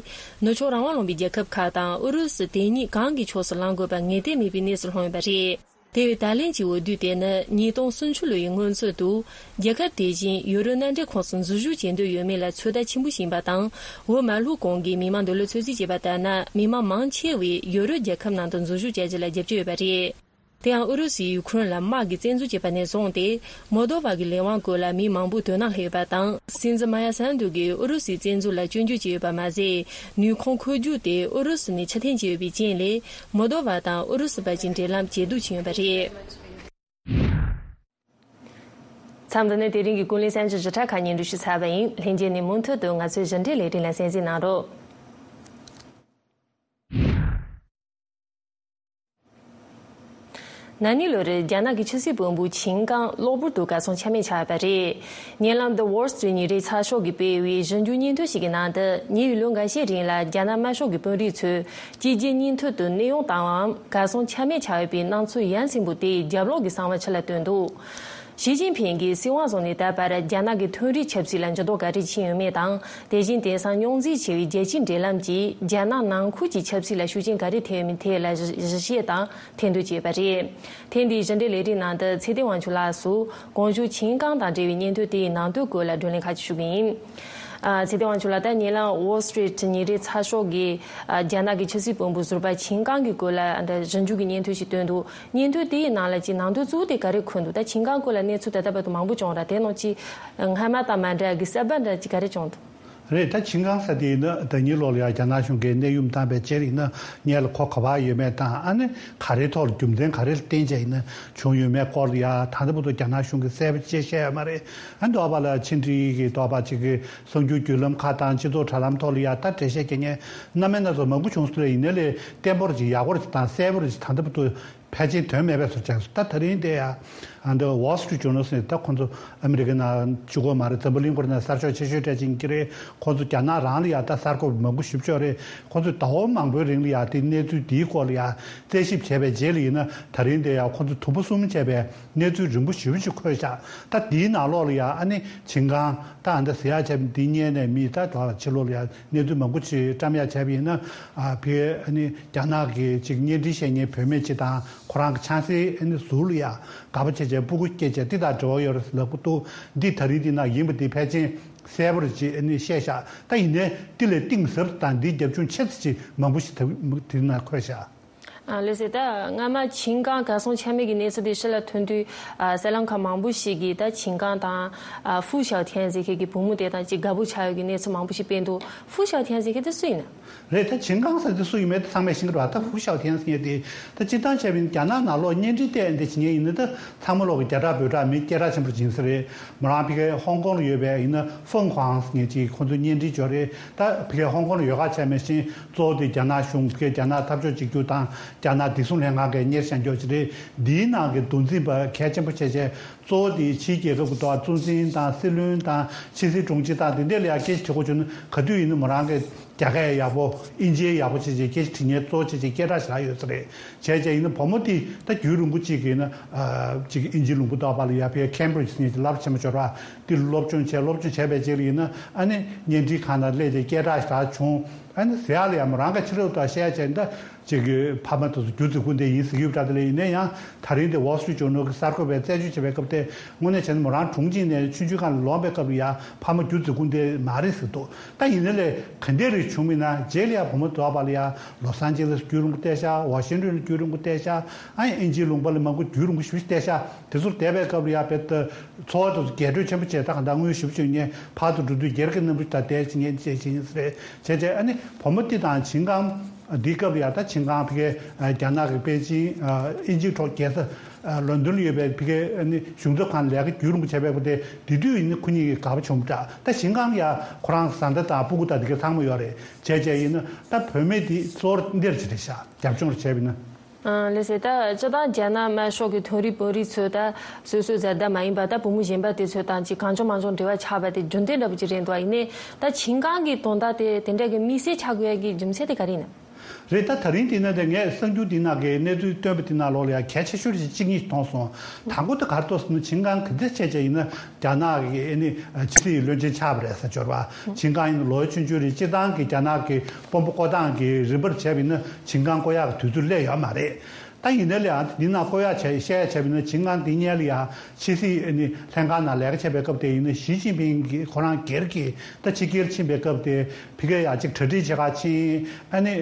ནུབ་ཕྱོགས་རང་དབང་ལུང་པའི་རྒྱལ་ཁབ་ཁག་དང་ཨུ་རུ་སུ་དེ་གཉིས་གང་གི་ཕྱོགས་སུ་ལངས་དགོས་པ་ངེས་གཏན་མེད་པའི་གནས་སུ་ལྷུང་ཡོད་པ་རེད། དེ་བས་ད་ལན་གྱི་འོས་བསྡུ་དེ་ནི་ཉིས་སྟོང་སུམ་ཅུ་ལོའི་སྔོན་ཚུད་དུ། རྒྱལ་ཁབ་དེ་བཞིན་ཡུ་རོབ་མནའ་འབྲེལ་ཁོངས་སུ་འཛུལ་ཞུགས་བྱེད་འདོད་ཡོད་མེད་ལ་ཚོད་ལྟ་ཆེན་པོ་ཞིག་ཡིན་པ་དང་། འོས་མ་བླུགས་གོང་གི་མི་མང་འདོད་བློ་ཚོད་རྩིས་བྱས་པ་ལྟར་ན། མི་མང་མང་ཆེ་བས་ཡུ་རོབ་རྒྱལ་ཁབ་ནང་དུ་འཛུལ་ཞུགས་བྱ་རྒྱུ་ལ་རྒྱབ་སྐྱོར་ཡོད་པ་རེད། དེ་ཡང་ཨུ་རུ་སུས་ཡུ་ཁུ་རེན་ལ་དམག་གི་བཙན་འཛུལ་བྱས་པ་ནས་བཟུང་སྟེ། མོལ་དོ་ཝ་གི་ལས་དབང་སྐོར་ལ་མི་མང་པོ་དོ་སྣང་སླེབས་ཡོད་པ་དང་། སྲིད་འཛིན་མ་ཡ་སན་དུ་གིས་ཨུ་རུ་སུའི་བཙན་འཛུལ་ལ་སྐྱོན་བརྗོད་བྱས་ཡོད་པ་མ་ཟད། ནུས་ཁུངས་འཁོར་རྒྱུག་དེ་ཨུ་རུ་སུ་ནས་ཕྱིར་འཐེན་བྱས་ཡོད་པའི་རྐྱེན་ལས། མོལ་དོ་ཝ་དང་ཨུ་རུ་སུ་བར་གྱི་འབྲེལ་ལམ་ཇེ་སྡུག་ཕྱིན་ཡོད་པ་རེད། མཚམས་འདི་ནས་དེ་རིང་གི་ཀུན་གླེང་གསར་འགྱུར་ཞིབ་ཕྲ་ཁག་སྙན་སྒྲོན་ཞུས་ཚར་བ་ཡིན། ལྷན་རྒྱས་ནས་མུ་མཐུད་དུ་ང་ཚོའི་ཞིབ་འབྲི་ལས་རིམ་ལ་གསན་གཟིགས་གནང་རོགས། ན་ནིང་ལོར་རྒྱ་ནག་གི་ཆབ་སྲིད་དཔོན་པོ་ཆིན་ཀང་གློ་བུར་དུ་གར་སོང་ཆ་མེད་ཆགས་པ་རེད། བརྙན་ལམ་The Wall Street ཉིན་རེའི་ཚགས་ཤོག་གིས་སྤེལ་བའི་ཞིབ་འཇུག་སྙན་ཐོ་ཞིག་གི་ནང་དུ། ཉེ་བའི་ལོ་འགའ་ཤས་རིང་ལ་རྒྱ་ནག་དམར་ཤོག་གི་དཔོན་རིགས་ཚོས་གཅིག་རྗེས་གཉིས་མཐུད་དུ་གནས་དབྱུང་བཏང་བའམ་གར་སོང་ཆ་མེད་ཆགས་ཡོད་པའི་སྣང་ཚུལ་ཡ་མཚན་པོ་དེས་རྒྱབ་ལོགས་ཀྱི་གསང་བ་ཕྱི་ལ་བཏོན་འདུག་ཞི་ཅིན་ཕིང་གིས་སྲིད་དབང་བཟུང་ནས་ད་བར་རྒྱ་ནག་གི་མཐོ་རིམ་ཆབ་སྲིད་ལ་འགྱུར་ལྡོག་ག་རེ་ཕྱིན་ཡོད་མེད་དང་། དེ་བཞིན་དེང་སང་རྙོག་འཛིང་ཆེ་བའི་རྒྱལ་སྤྱིའི་འབྲེལ་ལམ་གྱིས་རྒྱ་ནག་ནང་ཁུལ་གྱི་ཆབ་སྲིད་ལ་ཤུགས་རྐྱེན་ག་རེ་ཐེབས་ཡོད་མེད་ཐད་ལ་ཞིབ་དཔྱད་དང་ཐེར་འདོན་བྱས་པ་རེད། ཐེངས་འདིའི་ཞིབ་འབྲི་ལས་རིམ་ནང་དུ་ཚེ་བརྟན་དབང་ཕྱུག་ལགས་སུ་གོང་ཞུས་ཆིན་ཀང་དང་འབྲེལ་བའི་སྙན་ཐོ་དེའི་ནང་དོན་སྐོར་ལ་བགྲོ་གླེང་ཁག་ཅིག་ཞུ་གི་ཡིན། ཨ། ཚེ་བརྟན་དབང་ཕྱུག་ལགས། ད་བརྙན་ལམ་Wall Street ཉིན་རེའི་ཚགས་ཤོག་གིས། ཨ། རྒྱ་ནག་གི་ཆབ་སྲིད་དཔོན་པོ་ཟུར་པ་ཆིན་ཀང་གི་སྐོར་ལ་ཨ་འདྲ་ཞིབ་འཇུག་གི་སྙན་ཐོ་ཞིག་བཏོན་འདུག་སྙན་ཐོ་དེའི་ནང་ལ་ཅིག་ནང་དོན་གཙོ་བོ་དེ་ག་རེ་འཁོད་འདུག་ད་ཆིན་ཀང་སྐོར་ལ་གནས་ཚུལ་ད་ལྟ་བར་དུ་མང་པོ་བྱུང་ར། དེ་ནང་ཅིག་སྔ་མ་དང་མ་འདྲ་གི་གསར་པ་འདྲ་ཅིག་ག་རེ་བྱུང་འདུག་རེད། ད་ཆིན་ཀང་ཟེར་དེ་ཡིན་ན་ད་ཉིན་ལོག་ལ་ཡ་རྒྱ་ནག་གཞུང་གིས་གནས་དབྱུང་བཏང་པའི་རྗེས་ཡིན་ན་སྔོན་ལ་ཁོ་ག་པར་ཡོད་མེད་དང་། ཨ་ནི་ག་རེའི་ཐོག་ལ་རྒྱུ་མཚན་ག་རེ་ལ་བརྟེན་བྱས་ཡིན་ན་བྱུང་ཡོད་མེད་སྐོར་ལ་ཡ་ད་ལྟ་བར་དུ་རྒྱ་ནག་གཞུང་གིས་གསལ་པོ་ཅིག་བཤད་ཡོད་མ་རེད། ཨ་ནི་འདོགས་པ་ལ་ཕྱི་འབྲེལ་གྱི་འདོགས་པ་ཅིག་གི་གསར་འགྱུར་བརྒྱུད་ལམ་ཁག་དང་སྤྱི་ཚོགས་དྲ་ལམ་ཐོག་ལ་ཡ་ད་འགྲེལ་བཤད་རྒྱག་མཁན་སྣ་མིན་སྣ་ཚོགས་མང་པོ་བྱུང་སོང་ལ། ཡིན་ནའི་ལས་བརྟན་པོ་རེ་ཅིག་ཡག་པོ་རེ་ཅིག་དང་གསལ་པོ་རེ་ཅིག་ད་ལྟ་བར་དུ་ཕལ་ཆེར་ཐོན་མེད་པའི་བཟོ་ཆགས་སོང་། ད་ད་རིང་དེ་ཡ་ཨ་འདི་Wall Street Journal ཟེར་ད་ཁོང་ཚོ་ཨ་མི་རི་ཀའི་ནང་གཅིག་པོ་མ་རེད། འཛམ་བུ་གླིང་སྐོར་ནང་གསར་ཤོག་ཆེ་ཤོས་གྲས་ཅིག་གི་རེད། ཁོང་ཚོ་རྒྱ་ནག་རང་ལ་ཡ་ད་གསར་འགོད་མང་པོ་ཞེ་པོ་ཅིག་རེད། ཁོང་ཚོས་ཟླ་བ་མང་པོའི་རིང་ལ་ཡ་དེ་གནས་ཚུལ་དེའི་སྐོར་ལ་ཡ་རྩད་ཞིབ་བྱས་པའི་རྗེས་ལ་ཡིན་ན་ད་རིང་དེ་ཡ་ཁོང་ཚོ་དུམ་བུ་གསུམ་བྱས་པའི་གནས་ཚུལ་རིང་པོ་ཞེ་པོ་ཅིག་འཁོད་བཞག་ད་དེའི་ནང་ལོགས་ལ་ཡ་ཨ་ནི་ཆིན་ཀང་ད་ཨ་འདི་ཟེར་ཡག་བྱས་འདི་སྔོན་ནས་མི་ད་དོ་ཕྱི་ལོགས་ལ་ཡ་གནས་ཚུལ་མང་པོ་ཅིག་བཀྲམ་ཡག་བྱས་པ་ཡིན་ན། ཨ་ཕའི་ཨ་ནི་རྒྱ་ནག་གི་ཅིག་བརྙན་འཕྲིན་བཤད་མཁན་བུད་མེད་ཅིག་དང་ཁོ་རང་གི་ཆང་སའི་ཨ་ནི་ཟུར་ལ་ཡ་དགའ་པོ་བྱས་བྱས་སྤུ་གུ་སྐྱེས་བྱས་འདི་དང་འབྲེལ་བ་ཡོད་རེད་ལབ་ཀྱི་འདུག་འདི་ད་རིང་འདི་ན་ཡིན་པ་འདི་ཕལ་ཆེར་གསལ་པོ་རེ་ཅིག་ཨ་ནི་བཤད་བཞག་ད་ཡིན་ནའི་འདི་ལས་གཏིང་ཟབ་དང་འདིའི་རྒྱབ་ལྗོངས་ཆེ་ཙམ་ཅིག་མང་པོ་ཞིག་ད་འདི་ན་འཁོད་བཞག་ཨ་ལགས་སེ། ད་སྔ་མ་ཆིན་ཀང་གར་སོང་ཆ་མེད་ཀྱི་གནས་ཚུལ་དེ་ཕྱི་ལ་ཐོན་དུས། ཨ་གསར་ལམ་ཁག་མང་པོ་ཞིག་གིས་ད་ཆིན་ཀང་དང་ཨ་ཧྥུ་ཞའོ་ཐན་ཟེར་མཁན་གྱི་བུ་མོ་དེ་དང་ཅིག་དགའ་པོ་ཆགས་ཡོད་ཀྱི་གནས་ཚུལ་མང་པོ་ཞིག་སྤེལ་འདུག་ཧྥུ་ཞའོ་ཐན་ཟེར་མཁན་དེ་སུ་ཡིན་ན། རེད། ད་ཆིན་ཀང་ཟེར་དེ་སུ་ཡིན་མེད་དེ་ཚང་མས་ཤེས་ཀྱི་རེད་པ། ད་ཧྥུ་ཞའོ་ཐན་ཟེར་མཁན་དེ་ད་སྤྱིར་བཏང་བྱས་པ་ཡིན་རྒྱ་ནག་ནང་ལོགས་བརྙན་འཕྲིན་བལྟས་འདི་བྱེད་མཁན་ཡིན་ན་ད་ཚང་མ་ལོག་གི་རྒྱ་གྲགས་འབོད་གྲགས་མི་སྐད་གྲགས་ཆེན་པོ་ཡིན་ས་རེད། མོ་རང་ཕ་གིའི་ཧོང་ཀོང་ལ་ཡོད་པའི་ཡིན་ན་ཧྥང་ཧུའང་ཟེར་མཁན་ཅིག་ཁོང་ཚོ་བརྙན་འཕྲིན་འབྱོར་རེད། ད་ཕ་གིའི་ཧོང་ཀོང་ལ་ཡོད་ཁ་བྱས་མེད་བཞིན་གཙོ་བོ་དེ་རྒྱ་ནག་གཞུང་ཕ་གིའི་རྒྱ་ནག་འཐབ་ཕྱོགས་གཅིག་གྱུར་དང་རྒྱ་ནག་བདེ་སྲུང་ལྷན་ཁང་གིས་གཉེར་བཞག་མགྱོགས་ཅིག་རེད། འདིའི་ནང་གི་མདོ་འཛིན་པ་གལ་ཆེན་པོ་བྱས་བྱས་གཙོ་བོ་དེ་ཕྱིའི་རྒྱལ་ཁབ་ཀྱི་ཐོག་གཙོ་འཛིན་དང་སྲིད་བློན་དང་ཕྱི་སྲིད་དྲུང་ཆེ་དང་དེ་འདྲས་ལ་ཡ་སྐད་ཆ་དྲི་དགོས་བྱུང་ན་ག་དུས་ཡིན་ན་མོ་རང་གི་རྒྱ་སྐད་ཡག་པོ་ཨིན་ཇི་ཡག་པོ་བྱས་བྱས་སྐད་ཆ་དྲི་མཁན་གཙོ་བོ་བྱས་བྱས་སྐད་གྲགས་ཞེ་དྲག་ཡོད་ས་རེད། བྱས་བྱས་ཡིན་ན་བུ་མོ་དེ་ད་རྒྱུན་རིང་པོ་གཅིག་གི་ཡིན་ན་ཨ་གཅིག་ཨིན་ཇི་ལུང་པ་ཏོག་པ་ལ་ཡ་ཕའི་ཁེམ་བྷི་རིཇ་ཟེར་མཁན་གྱི་སློབ་གྲྭ་ཆེན་མོ་འབྱོར་བ་དེ་སློབ་སྦྱོང་བྱས། སློབ་སྦྱོང་བྱས་པའི་རྗེས་ལ་ཡིན་ན་ཨ་ནི་བརྙན་འཕྲིན་ཁང་ནང་སླེབས་བྱས་སྐད་གྲགས་ཞེ་དྲག་བྱུང་། ཨ་ནི་ཟེར་ཡག་ལ་ཡ་མོ་རང་གི་ཕྱི་རབས་དང་བཤད་ཡག་བྱས་ན་ད། ཅིག་གི་ཕ་མ་དེ་ཚོ་རྒྱུ་རྫི་ཀུན་ལྡན་ཡིན་ཟེར་གྱི་ཡོད་པ་འདྲ། དེ་ལས་ཡིན་ན་ཡང་ད་རིང་དེ་Wall Street Journal་གི་གསར་འགོད་པས་རྩད་གཅོད་བྱས་པའི་སྐབས་དེ་དངོས་གནས་བྱས་ན་མོ་རང་གྲོངས་ཀྱི་ནས་ཆུང་ཆུང་སྒང་ལ་ལོག་པའི་སྐབས་ལ་ཡང་ཕ་མ་རྒྱུ་རྫི་ཀུན་ལྡན་མ་རེད་ཟེར་འདུག་ད་ཡིན་ན་ལས་ག་འདྲས་རེ་བྱུང་མིན་ན་རྗེས་ལ་ཡང་བུ་མོ་དོ་བ་ལ་ཡང་ལོ་སན་ཅི་ལེས་རྒྱུན་རིང་པོ་བསྡད་ཤག་ཝ་ཤིང་ཏོན་ལ་རྒྱུན་རིང་པོ་བསྡད་ཤག་ཨ་ཡིན་དབྱིན་ཇིའི་ལུང་པ་ལ་མང་པོ་རྒྱུན་རིང་པོ་ཞིག་བསྡད་ཤག་དེ་ཚོར་བསྡད་པའི་སྐབས་ལ་ཡང་བེད་འཚོ་བ་དེ་ཚོ་རྒྱས་སྤྲོས་ཆེན་པོ་བྱས། ད་ག་འདྲ་དངུལ་ཞིབ་བྱུང་ནས་ཕར་དུ་འགྲོ་དུས་སྒེར་གྱི་གནམ་གྲུ་དང་བསྡད་ཕྱིན་ཉན་བྱས་ཕྱིན་ཟེར་བྱས་བྱས། ཨ་ནི་བུ་མོ་འདི་དང་ཆིང་ཀང་འདིའི་སྐབས་ལ་ཡང་ད་ཆིང་ཀང་ཕ་གིའི་རྒྱ་ནག་གི་པེ་ཅིང་དབྱིན་ཇིའི་གྲོང་རྒྱལ་ས་ལོན་ཌོན་ལ་ཡོད་པའི་ཕ་གིའི་ཨ་ནི་གཞུང་ཚབ་ཁང་ལས་ཀ་རྒྱུན་རིང་པོ་བྱས་པའི་སྐབས་དེ་དེ་དུས་ཡིན་ན་ཁོ་གཉིས་ཀྱི་དགའ་པོ་བྱུང་པ་འདྲ། ད་ཆིང་ཀང་ཡང་ཁོ་རང་བཟའ་ཟླ་དང་སྤུ་གུ་དང་དེ་ག་ཚང་མ་ཡོད་རེད། བྱས་བྱས་ཡིན་ན་ད་བུད་མེད་འདི་གཙོ་བོ་འདིར་ཅི་རེད་ཤག་རྒྱབ་ལྗོངས་རེ་བྱས་པ་ཡིན་ན། ཨང་། ལགས་སོ། ད་སྤྱིར་བཏང་རྒྱ་ནག་དམར་ཤོག་གི་དོན་རིག་དཔོན་རིགས་ཚོས་ད་སོ་སོའི་བཟའ་ཟླ་མ་ཡིན་པ་ད་བུ་མོ་གཞན་པ་དེ་ཚོ་དང་ཅིག་གང་བྱུང་མང་བྱུང་འབྲེལ་བ་ཆགས་པ་དེ་རྒྱུན་ལྡན་འདྲ་པོ་ཅིག་རེད་འདུག་ཡིན་ནའི་ད་ཆིང་ཀང་གི་དོན་དག་དེ་དེ་འདྲ་གི་དམིགས་བསལ་ཆགས་དགོས་ཡ་གི་རྒྱུ་མཚན་དེ་ག་རེ་ཡིན་ནམ། རེད། ད་ད་རིང་འདི་ན་དེ་ངས་གསར་འགྱུར་འདི་ནང་གི་གནས་ཚུལ་བཏོན་པ་འདི་ནང་ལོགས་ལ་ཡང་གལ་ཆེ་ཤོས་ཅིག་གཅིག་གཉིས་མཐོང་སོང་། དང་པོ་དེ་ག་རེ་འདུག་ཟེར་ན་ཆིང་ཀང་གི་འདི་བྱས་བྱས་ཡིན་ན་རྒྱ་ནག་གི་ཨ་ནི་ཕྱི་སྲིད་བློན་ཆེན་ཆགས་པ་རེད་ཟེར། འབྱོར་བ་ཆིང་ཀང་ཡིན་ན་ལོ་ཆུང་ཆུང་རེད། སྤྱིར་བཏང་གི་རྒྱ་ནག་གི་དཔོན་པོ་བསྐོ་སྟངས་ཀྱི་རིམ་པར་བྱས་པ་ཡིན་ན་ཆིང་ཀང་བསྐོ་ཡག་གི་དུས་ཚོད་སླེབས་ཡོད་མ་རེད། ད་ཡིན་ནའི་ལས་ཨ་འདི་ན་བསྐོ་ཡག་བྱས་བཤད་ཡག་བྱས་པ་ཡིན་ན་ཆིང་ཀང་འདི་སྔོན་ལ་ཡང་ཕྱི་སྲིད་ཨ་ནི་ལྷན་ཁང་ནང་ལས་ཀ་བྱས་པའི་སྐབས་དེ་ཡིན་ན་ཞི་ཅིན་ཕིང་གིས་ཁོ་རང་སྒེར་གྱི་ད་ཕྱི་རྒྱལ་ཕྱིན་པའི་སྐབས་དེ་ཕ་གིར་ཡང་ཅིག་གྲ་སྒྲིག་བྱེད་ག་ཕྱིན། ཨ་ནི་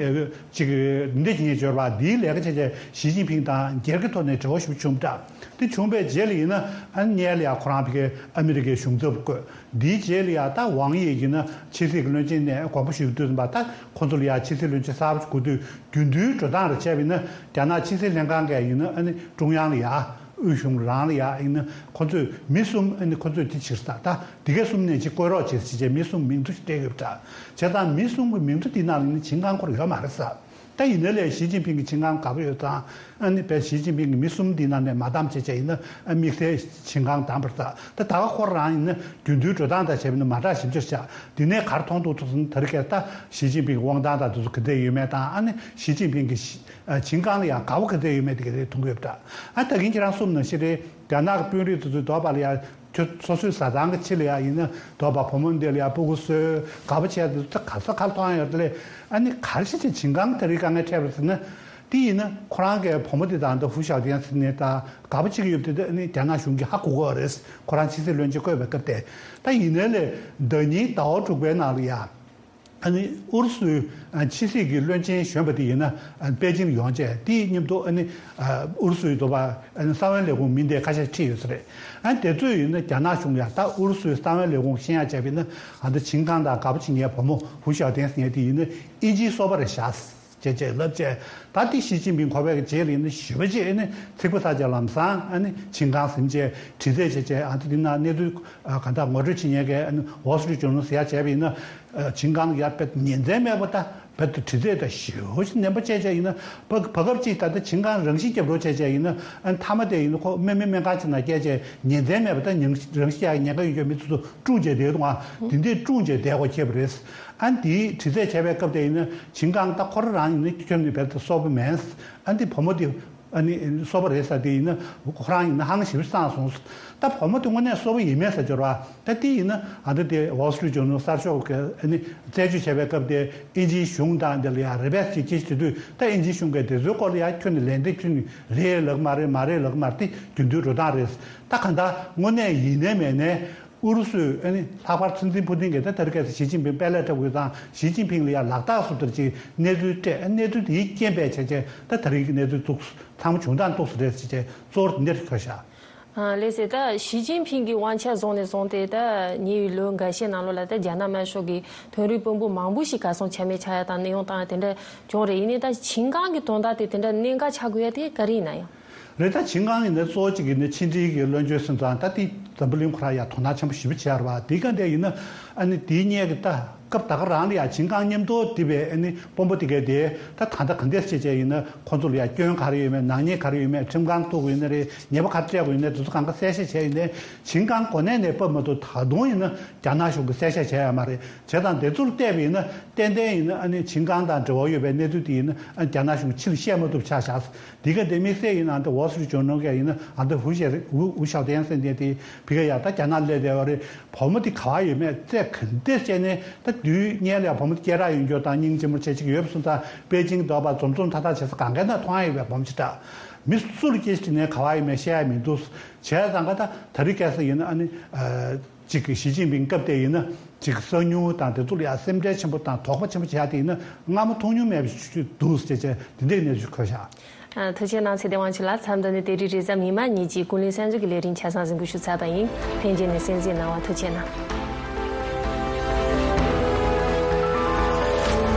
ཅིག་འདི་འདྲ་བྱེད་མཁན་འབྱོར་བ་འདིའི་ལས་ཀ་བྱས་བྱས་ཞི་ཅིན་ཕིང་དང་སྒེར་གྱི་ཐོག་ནས་འབྲེལ་བ་ཞིག་བྱུང་པ་འདྲ། དེ་བྱུང་བའི་རྗེས་ལ་ཡིན་ན་ཨ་ནི་སྔོན་ལ་ཡང་ཁོ་རང་ཕ་གིར་ཨ་མི་རི་ཀའི་གཞུང་ཚབ་བསྐོས། འདིའི་རྗེས་ལ་ཡང་ད་ཝང་དབྱི་ཡིན་ན་ཕྱི་སྲིད་ཀྱི་བློན་ཆེན་ནས་དགོངས་པ་ཞུ་དུས་ཙམ་པ་ད་ཁོ་ཚོ་ལ་ཡང་ཕྱི་སྲིད་བློན་ཆེན་གསར་པ་ཞིག་དགོས་དུས་རྒྱུན་དུའི་འགྲོ་སྟངས་རེ་བྱས་པ་ཡིན་ན་རྒྱ་ནག་ཕྱི་སྲིད་ལྷན་ཁང་གིས་ཡིན་ན་ཨ་ནི་ཀྲུང་དབྱང་ལ་ཡང་དབུས་གཞུང་རང་ལ་ཡང་ཡིན་ན་ཁོ་ཚོས་མི་གསུམ་ཨ་ནི་ཁོ་ཚོས་དེ་ཕྱིར་ས་ད་འདི་གའི་གསུམ་ནས་ཅིག་བསྐོས་རོགས་བྱེད་ཟེར་བྱས་མི་གསུམ་མིང་ཐོ་ཞིག་སྤྲད་ཡོད་པ་འདྲ། བྱས་ཙང་མི་གསུམ་གྱི་མིང་ཐོ་འདི་ནང་ལ་ཡིན་ན་ཆིང་ཀང་ཁོ་རང་ཡོད་མ་རེད་ས། ད་ཡིན་ན་ལས་ཞི་ཅིན་ཕིང་གི་ཆིང་ཀང་དགའ་པོ་ཡོད་ཙང་ཨ་ནི་བས་ཞི་ཅིན་ཕིང་གི་མི་གསུམ་འདི་ནང་ནས་མ་བདམས་བྱས་བྱས་ཡིན་ན་ཨ་དམིགས་བསལ་ཆིང་ཀང་བདམས་པར་ད་ད་ད་ག་ཁོ་རང་ཡིན་ན་རྒྱུན་དུའི་འགྲོ་སྟངས་དང་བྱས་པ་ཡིན་ན་མ་འདྲ་ཞིབ་ཆ་བཞག་འདི་ནས་ག་རེ་མཐོང་ཐུབ་ཐུབ་སོང་ན་ད་རེས་ཀྱི་ད་ཞི་ཅིན་ཕིང་གི་དབང་ཐང་དང་དེ་ཚོ་ག་འདྲ་ཡོད་མེད་དང་ཨ་ནི་ཞི་ཅིན་ཕིང་གི་ཞི་ཨ་ཆིང་ཀང་ལ་ཡང་དགའ་པོ་ག་འདྲ་ཡོད་མེད་དེ་ག་རེ་མཐོང་གི་ཡོད་པ་འདྲ། ཨ་ད་གིན་ཁྱེད་རང་གསུངས་ནང་བཞིན་རེད། རྒྱ་ནག་གི་དཔོན་རིགས་དེ་ཚོའི་འདོད་པ་ལ་ཡང་ཁྱོད་སོ་སོའི་བཟའ་ཚང་གི་ཕྱི་ལ་ཡང་ཡིན་ན་འདོད་པ་བུ་མོ་འདི་ལ་ཡང་སྤུ་གུ་གསོས་དགའ་པོ་བྱས་དེ་ཚོ་ག་ས་ག་ལ་མཐོང་ཡ་ཡོད་དེ་ལས། ཨ་ནི་ག་རེ་བྱས་བྱས་ཆིང་ཀང་དེ་རིགས་དཀའ་ངལ་འཕྲད་པ་ཟེར་ན། དེ་ཡིན་ན་ཁོ་རང་གི་བུ་མོ་དེ་དང་ད་ཧུ་ཞའོ་ཐེན་ཟེར་ནས་ད་དགའ་པོ་བྱེད་ཀྱི་ཡོད་པ་དེ་ཨ་ནི་རྒྱ་ནག་གཞུང་གིས་ཧ་གོ་གི་ཡོད་རེད། ཁོ་རང་ཕྱི་སྲིད་བློན་ཆེན་བསྐོས་པའི་སྐབས་དེ། ད་ཡིན་ནའི་ལས་ཟླ་ཉིན་ཟླ་བ་དྲུག་པའི་ནང་ལ་ཡ། ཨ་ནི་ཨུ་རུ་སུའི་ཨ་ཕྱི་སྲིད་ཀྱི་བློན་ཆེན་གཞོན་པ་དེ་ཡིན་ན་ཨ་པེ་ཅིང་ཡོང་བྱས་དེའི་མཉམ་དུ་ཨ་ནི་ཨ་ཨུ་རུ་སུའི་དོ་པ་ཨ་ནི་གསང་བའི་ལས་ཁུངས་མི་འདི་ཁ་ཤས་ཁྲིད་ཡོད་ས་རེད། ཨ་ནི་དེ་ཚོས་ཡིན་ན་རྒྱ་ནག་གཞུང་ཡང་ད་ཨུ་རུ་སུའི་གསང་བའི་ལས་ཁུངས་ཤེས་ཡ་བྱས་པ་ཡིན་ན་ཨ་ད་ཆིང་ཀང་དང་དགའ་པོ་བྱེད་མཁན་བུ་མོ་ཧུ་ཞའོ་ཐེན་ཟེར་མཁན་དེ་ཡིན་ན་ཨིན་ཇིའི་སོ་པ་རེད་ཤག་ཅེས་ཅེས་ལབ་བྱས། ད་དེ་ཞི་ཅིན་ཕིང་གོ་བའི་རྗེས་ལ་ཡིན་ན་ཞི་བ་ཅིག་ཨ་ནི་ཚིག་པ་ས་ཆ་ལམ་སང་ཨ་ནི་ཆིང་ཀང་ཟིན་བྱས་དྲི་རྩད་བྱས་བྱས་ཨ་ད་དེ་ན་གནས་ཚུལ་གང་ལྟར་ངོ་སྤྲོད་བྱེད་མཁན་གྱི་ཨ་ནི་ཝོལ་སི་ཊི་རི་ཊི་ཇོར་ནལ་ཟེར་ཡ་བྱས་པ་ཡིན་ན། ཆིང་ཀང་ཡར་དཔེ་ཉིན་མཚན་མེད་པ་ད་དཔེ་དུ་དྲི་རྩད་ད་ཞེ་པོ་ཞིག་ནན་པོ་བྱས་བྱས་ཡིན་ན་བ་བ་སྐབས་གཅིག་ད་ལྟ་ཆིང་ཀང་རང་ཤི་རྒྱབ་རོགས་བྱས་བྱས་ཡིན་ན་ཨ་མཐའ་མ་དེ་ཡིན་ན་ཁོ་སྨན་སྨན་སྨན་ཁང་ཆེ་ན་བསྐྱལ་བྱས་ཉིན་མཚན་མེད་པ་ད་ཉིན་རང་ཤི་ཡག་ཉེན་ཁ་ཡོད་ཀྱི་མི་ཚོ་ཚོ་བཀྲུངས་བྱས་བསྡད་འདུག་ཨ་འདི་འདྲས་བཀྲུངས་བྱས་བསྡད་དགོས་ཁེལ་བ་རེད། ཨ་འདིའི་དྲི་རྩད་བྱས་པའི་སྐབས་དེ་ཡིན་ན་ཆིང་ཀང་ད་ཁོ་རང་རང་ཡིན་ན་ཁྱོད་ནི་བལ་དུ་སོག་པོ་མིན། ཨ་འདི་བུ་མོ་དེ། ཨ་ནི་སོ་པ་རེད་ས་དེ་ཡིན་ན་ཁོ་རང་ཡིན་ན་ཧང་ཞིབ་བསང་སོང་། ད་བུ་མོ་དེ་དངོས་གནས་སོ་པ་ཡིན་མེད་ས་འབྱོར་བ་ད་དེ་ཡིན་ན་ཨ་ད་དེ་ཝོལ་སི་ཊི་རི་ཊི་ཇོར་ནལ་གསར་ཤོག་གི་ཨ་ནི་རྩད་གཅོད་བྱས་པའི་སྐབས་དེ་ཨིན་ཇིའི་གཞུང་དང་དེ་ལ་ཡང་རེ་བས་ཅིག་ཅིག་བྱེད་དུས་ད་ཨིན་ཇིའི་གཞུང་གིས་དེ་ཚོའི་སྐོར་ལ་ཡང་ཁྱོད་ནི་ལན་འདེབས་ཁྱོད་ནི་རེད་ལབ་མ་རེད་མ་རེད་ལབ་མ་རེད་དེ་རྒྱུན་དུ་འགྲོ་སྟངས་རེད། ད་གང་ལྟར་དངོས་གནས་ཡིན་ནའི་མེད་ནའི། ཨུ་རུ་སུས་ཨ་ནི་ལྷག་པར་སྲིད་འཛིན་ཕུ་ཏིན་གྱིས་ད་ད་རེས་ཁ་སང་ཞི་ཅིན་ཕིང་དཔལ་ལས་འཁྲབ་དགོས་དང་ཞི་ཅིན་ཕིང་ལ་ཡང་ལག་རྟགས་སུ་ལྟར་གྱི་གནས་ཚུལ་སྤྲད། གནས་ཚུལ་དེའི་རྐྱེན་པས་བྱས་བྱས་ད་ད་རེས་ཀྱི་གནས་ཚུལ་འདུག་ཚང་མ་བྱུང་སྟངས་འདུག་སེ་རེད་ཟེར་བྱས་གཙོ་བོར་འདིར་འཁོད་བཞག་ཨ་ལགས་སེ། ད་ཞི་ཅིན་ཕིང་གི་དབང་ཆ་བཟུང་ནས་བཟུང་སྟེ་ད་ཉེ་བའི་ལོ་འགའ་ཤས་ནང་ལོགས་ལ་ད་རྒྱ་ནག་དམར་ཤོག་གི་དོན་རིག་དཔོན་པོ་མང་པོ་ཞིག་གར་སོང་ཆ་མེད་ཆགས་ཡ་དང་གནས་དབྱུང་བཏང་ཡ་དེ་འདྲ་བྱུང་རེད། ཡིན་ནའི་ད་ཆིང་ཀང་གི་དོན་དག་དེ་དེ་འདྲ་གནད་འགག་ཆགས་དགོས་ཡ་དེ་ག་རེ་ཡིན་ན་ཡང་། རེད། ད་ཆིང་ཀང་ཡིན་ན་གཙོ་བོ་གཅིག་ཡིན་ན་ཕྱི་འབྲེལ་གྱི་བློན་ཆེན་སོང་ཙང་ད་དེ་འཛམ་བུ་གླིང་ཁོ་རང་ཡང་དོ་སྣང་ཆེན་པོ་ཞེ་པོ་བྱས་ར་བ། དེ་ག་འདྲ་ཡིན་ན་ཨ་ནི་དེའི་སྔོན་གྱི་ད་སྐབས་ད་ག་རང་ལ་ཡང་ཆིང་ཀང་མཉམ་དུ་བསྡད་པའི་ཨ་ནི་དཔོན་པོ་དེ་གས་དེ་ད་ད་ལྟ་ག་འདྲས་བྱས་བྱས་ཡིན་ན་ཁོ་ཚོ་ལ་ཡང་སྐྱོན་ག་རེ་ཡོད་མེད། ནག་ཉེས་ག་རེ་ཡོད་མེད། ཁྲིམས་ཁང་གཏུག་དགོས་ཡིན་ན་རེད། ཉེས་པ་ག་རེ་སྤྲད་དགོས་ཡིན་ན་དེ་ཚོ་གང་ག་གསལ་བཤད་བྱས་ཡིན་ནའི་ཆིང་ཀང་གོ་གནས་ནས་ཕབ་མ་ཐུབ་ད་དུང་ཡིན་ན་རྒྱ་ནག་གཞུང་གིས་གསལ་བཤད་བྱས་ཡོད་མ་རེད། བྱས་ཙང་དེ་ཚོར་བལྟས་པ་ཡིན་ན་ཏན་ཏན་ཡིན་ན་ཨ་ནི་ཆིང་ཀང་དང་འབྲེལ་བ་ཡོད་པའི་གནས་ཚུལ་དེ་ཡིན་ན་ཨ་རྒྱ་ནག་གཞུང་ཕྱིར་བཤད་མ་ཐུབ་ཆགས་བཞག་འདི་ག་དེ་དམིགས་བསལ་ཡིན་ན་ཨ་ད་ཝོལ་སི་ཊི་རི་ཊི་ཇོར་ནལ་གྱི་ཡིན་ན་ཨ་ད་ཧུ་ཞེ་ཧུ་ཧུ་ཞའོ་ཐེན་ཟེར་མཁན་དེ་ཕ་གི་ཡ་ད་རྒྱ་ནག་སླེབས་བསྡད་པ་རེད། བུ་མོ་དེ་ག་བ་ཡོད་མེད་རྩད་ག་འདྲས་བཅད་ནས་ད་ དུས་སྔོན་ལ་ཡང་བུ་མོ་སྐྱེས་ར་ཡོང་རྒྱུ་དང་སྙིང་རྗེ་མོ་བྱེད་ཅིག་ཡོད་པ་སོང་ཙང་པེ་ཅིང་འདོགས་པ་འཛོམས་འཛོམས་ཐག་ཐག་བྱེད་ས་གང་ག་ན་མཐོང་ཡ་ཡོད་པའི་བུ་མོ་ཅིག་འདྲ། མི་སུ་ལ་སྐད་ཆ་དྲིས་ནའི་ག་བ་ཡིན་མིན་བཤད་ཡ་མི་འདུག་བྱས་ཙང་ག་ད་ད་རེས་སྐལ་བཟང་ཡིན་ན་ཨ་ནི་ཨ། ཅིག་གི་ཞི་ཅིན་ཕིང་སྐབས་དེ་ཡིན་ན་ཅིག་གསང་ཉུལ་དང་དེ་ཚོ་ལ་ཡང་སེམས་ཁྲལ་ཆེན་པོ་དང་དོགས་པ་ཆེན་པོ་བྱས་ཏེ་ཡིན་ན་སྔ་མོ་མཐོང་མྱོང་མེད་པ་ཞིག་འདུག་ཟེར་བྱས་དེ་འདྲའི་གནས་ཚུལ་འཁོད་བཞག་ཐུགས་རྗེ་གནང་། ཚེ་བརྟན་དབང་ཕྱུག་ལགས། མཚམས་འདི་ནས་དེ་རིང་རེས་གཟའ་མིག་དམར་ཉིན་གྱི་ཀུན་གླེང་གསར་འགྱུར་གྱི་ལས་རིམ་ཆ་ཚང་གཟིགས་འབུལ་ཞུ་ཚར་བ་ཡིན། ལྷན་རྒྱས་ནས་གསན་གཟིགས་གནང་བར་ཐུགས་རྗེ་གནང་།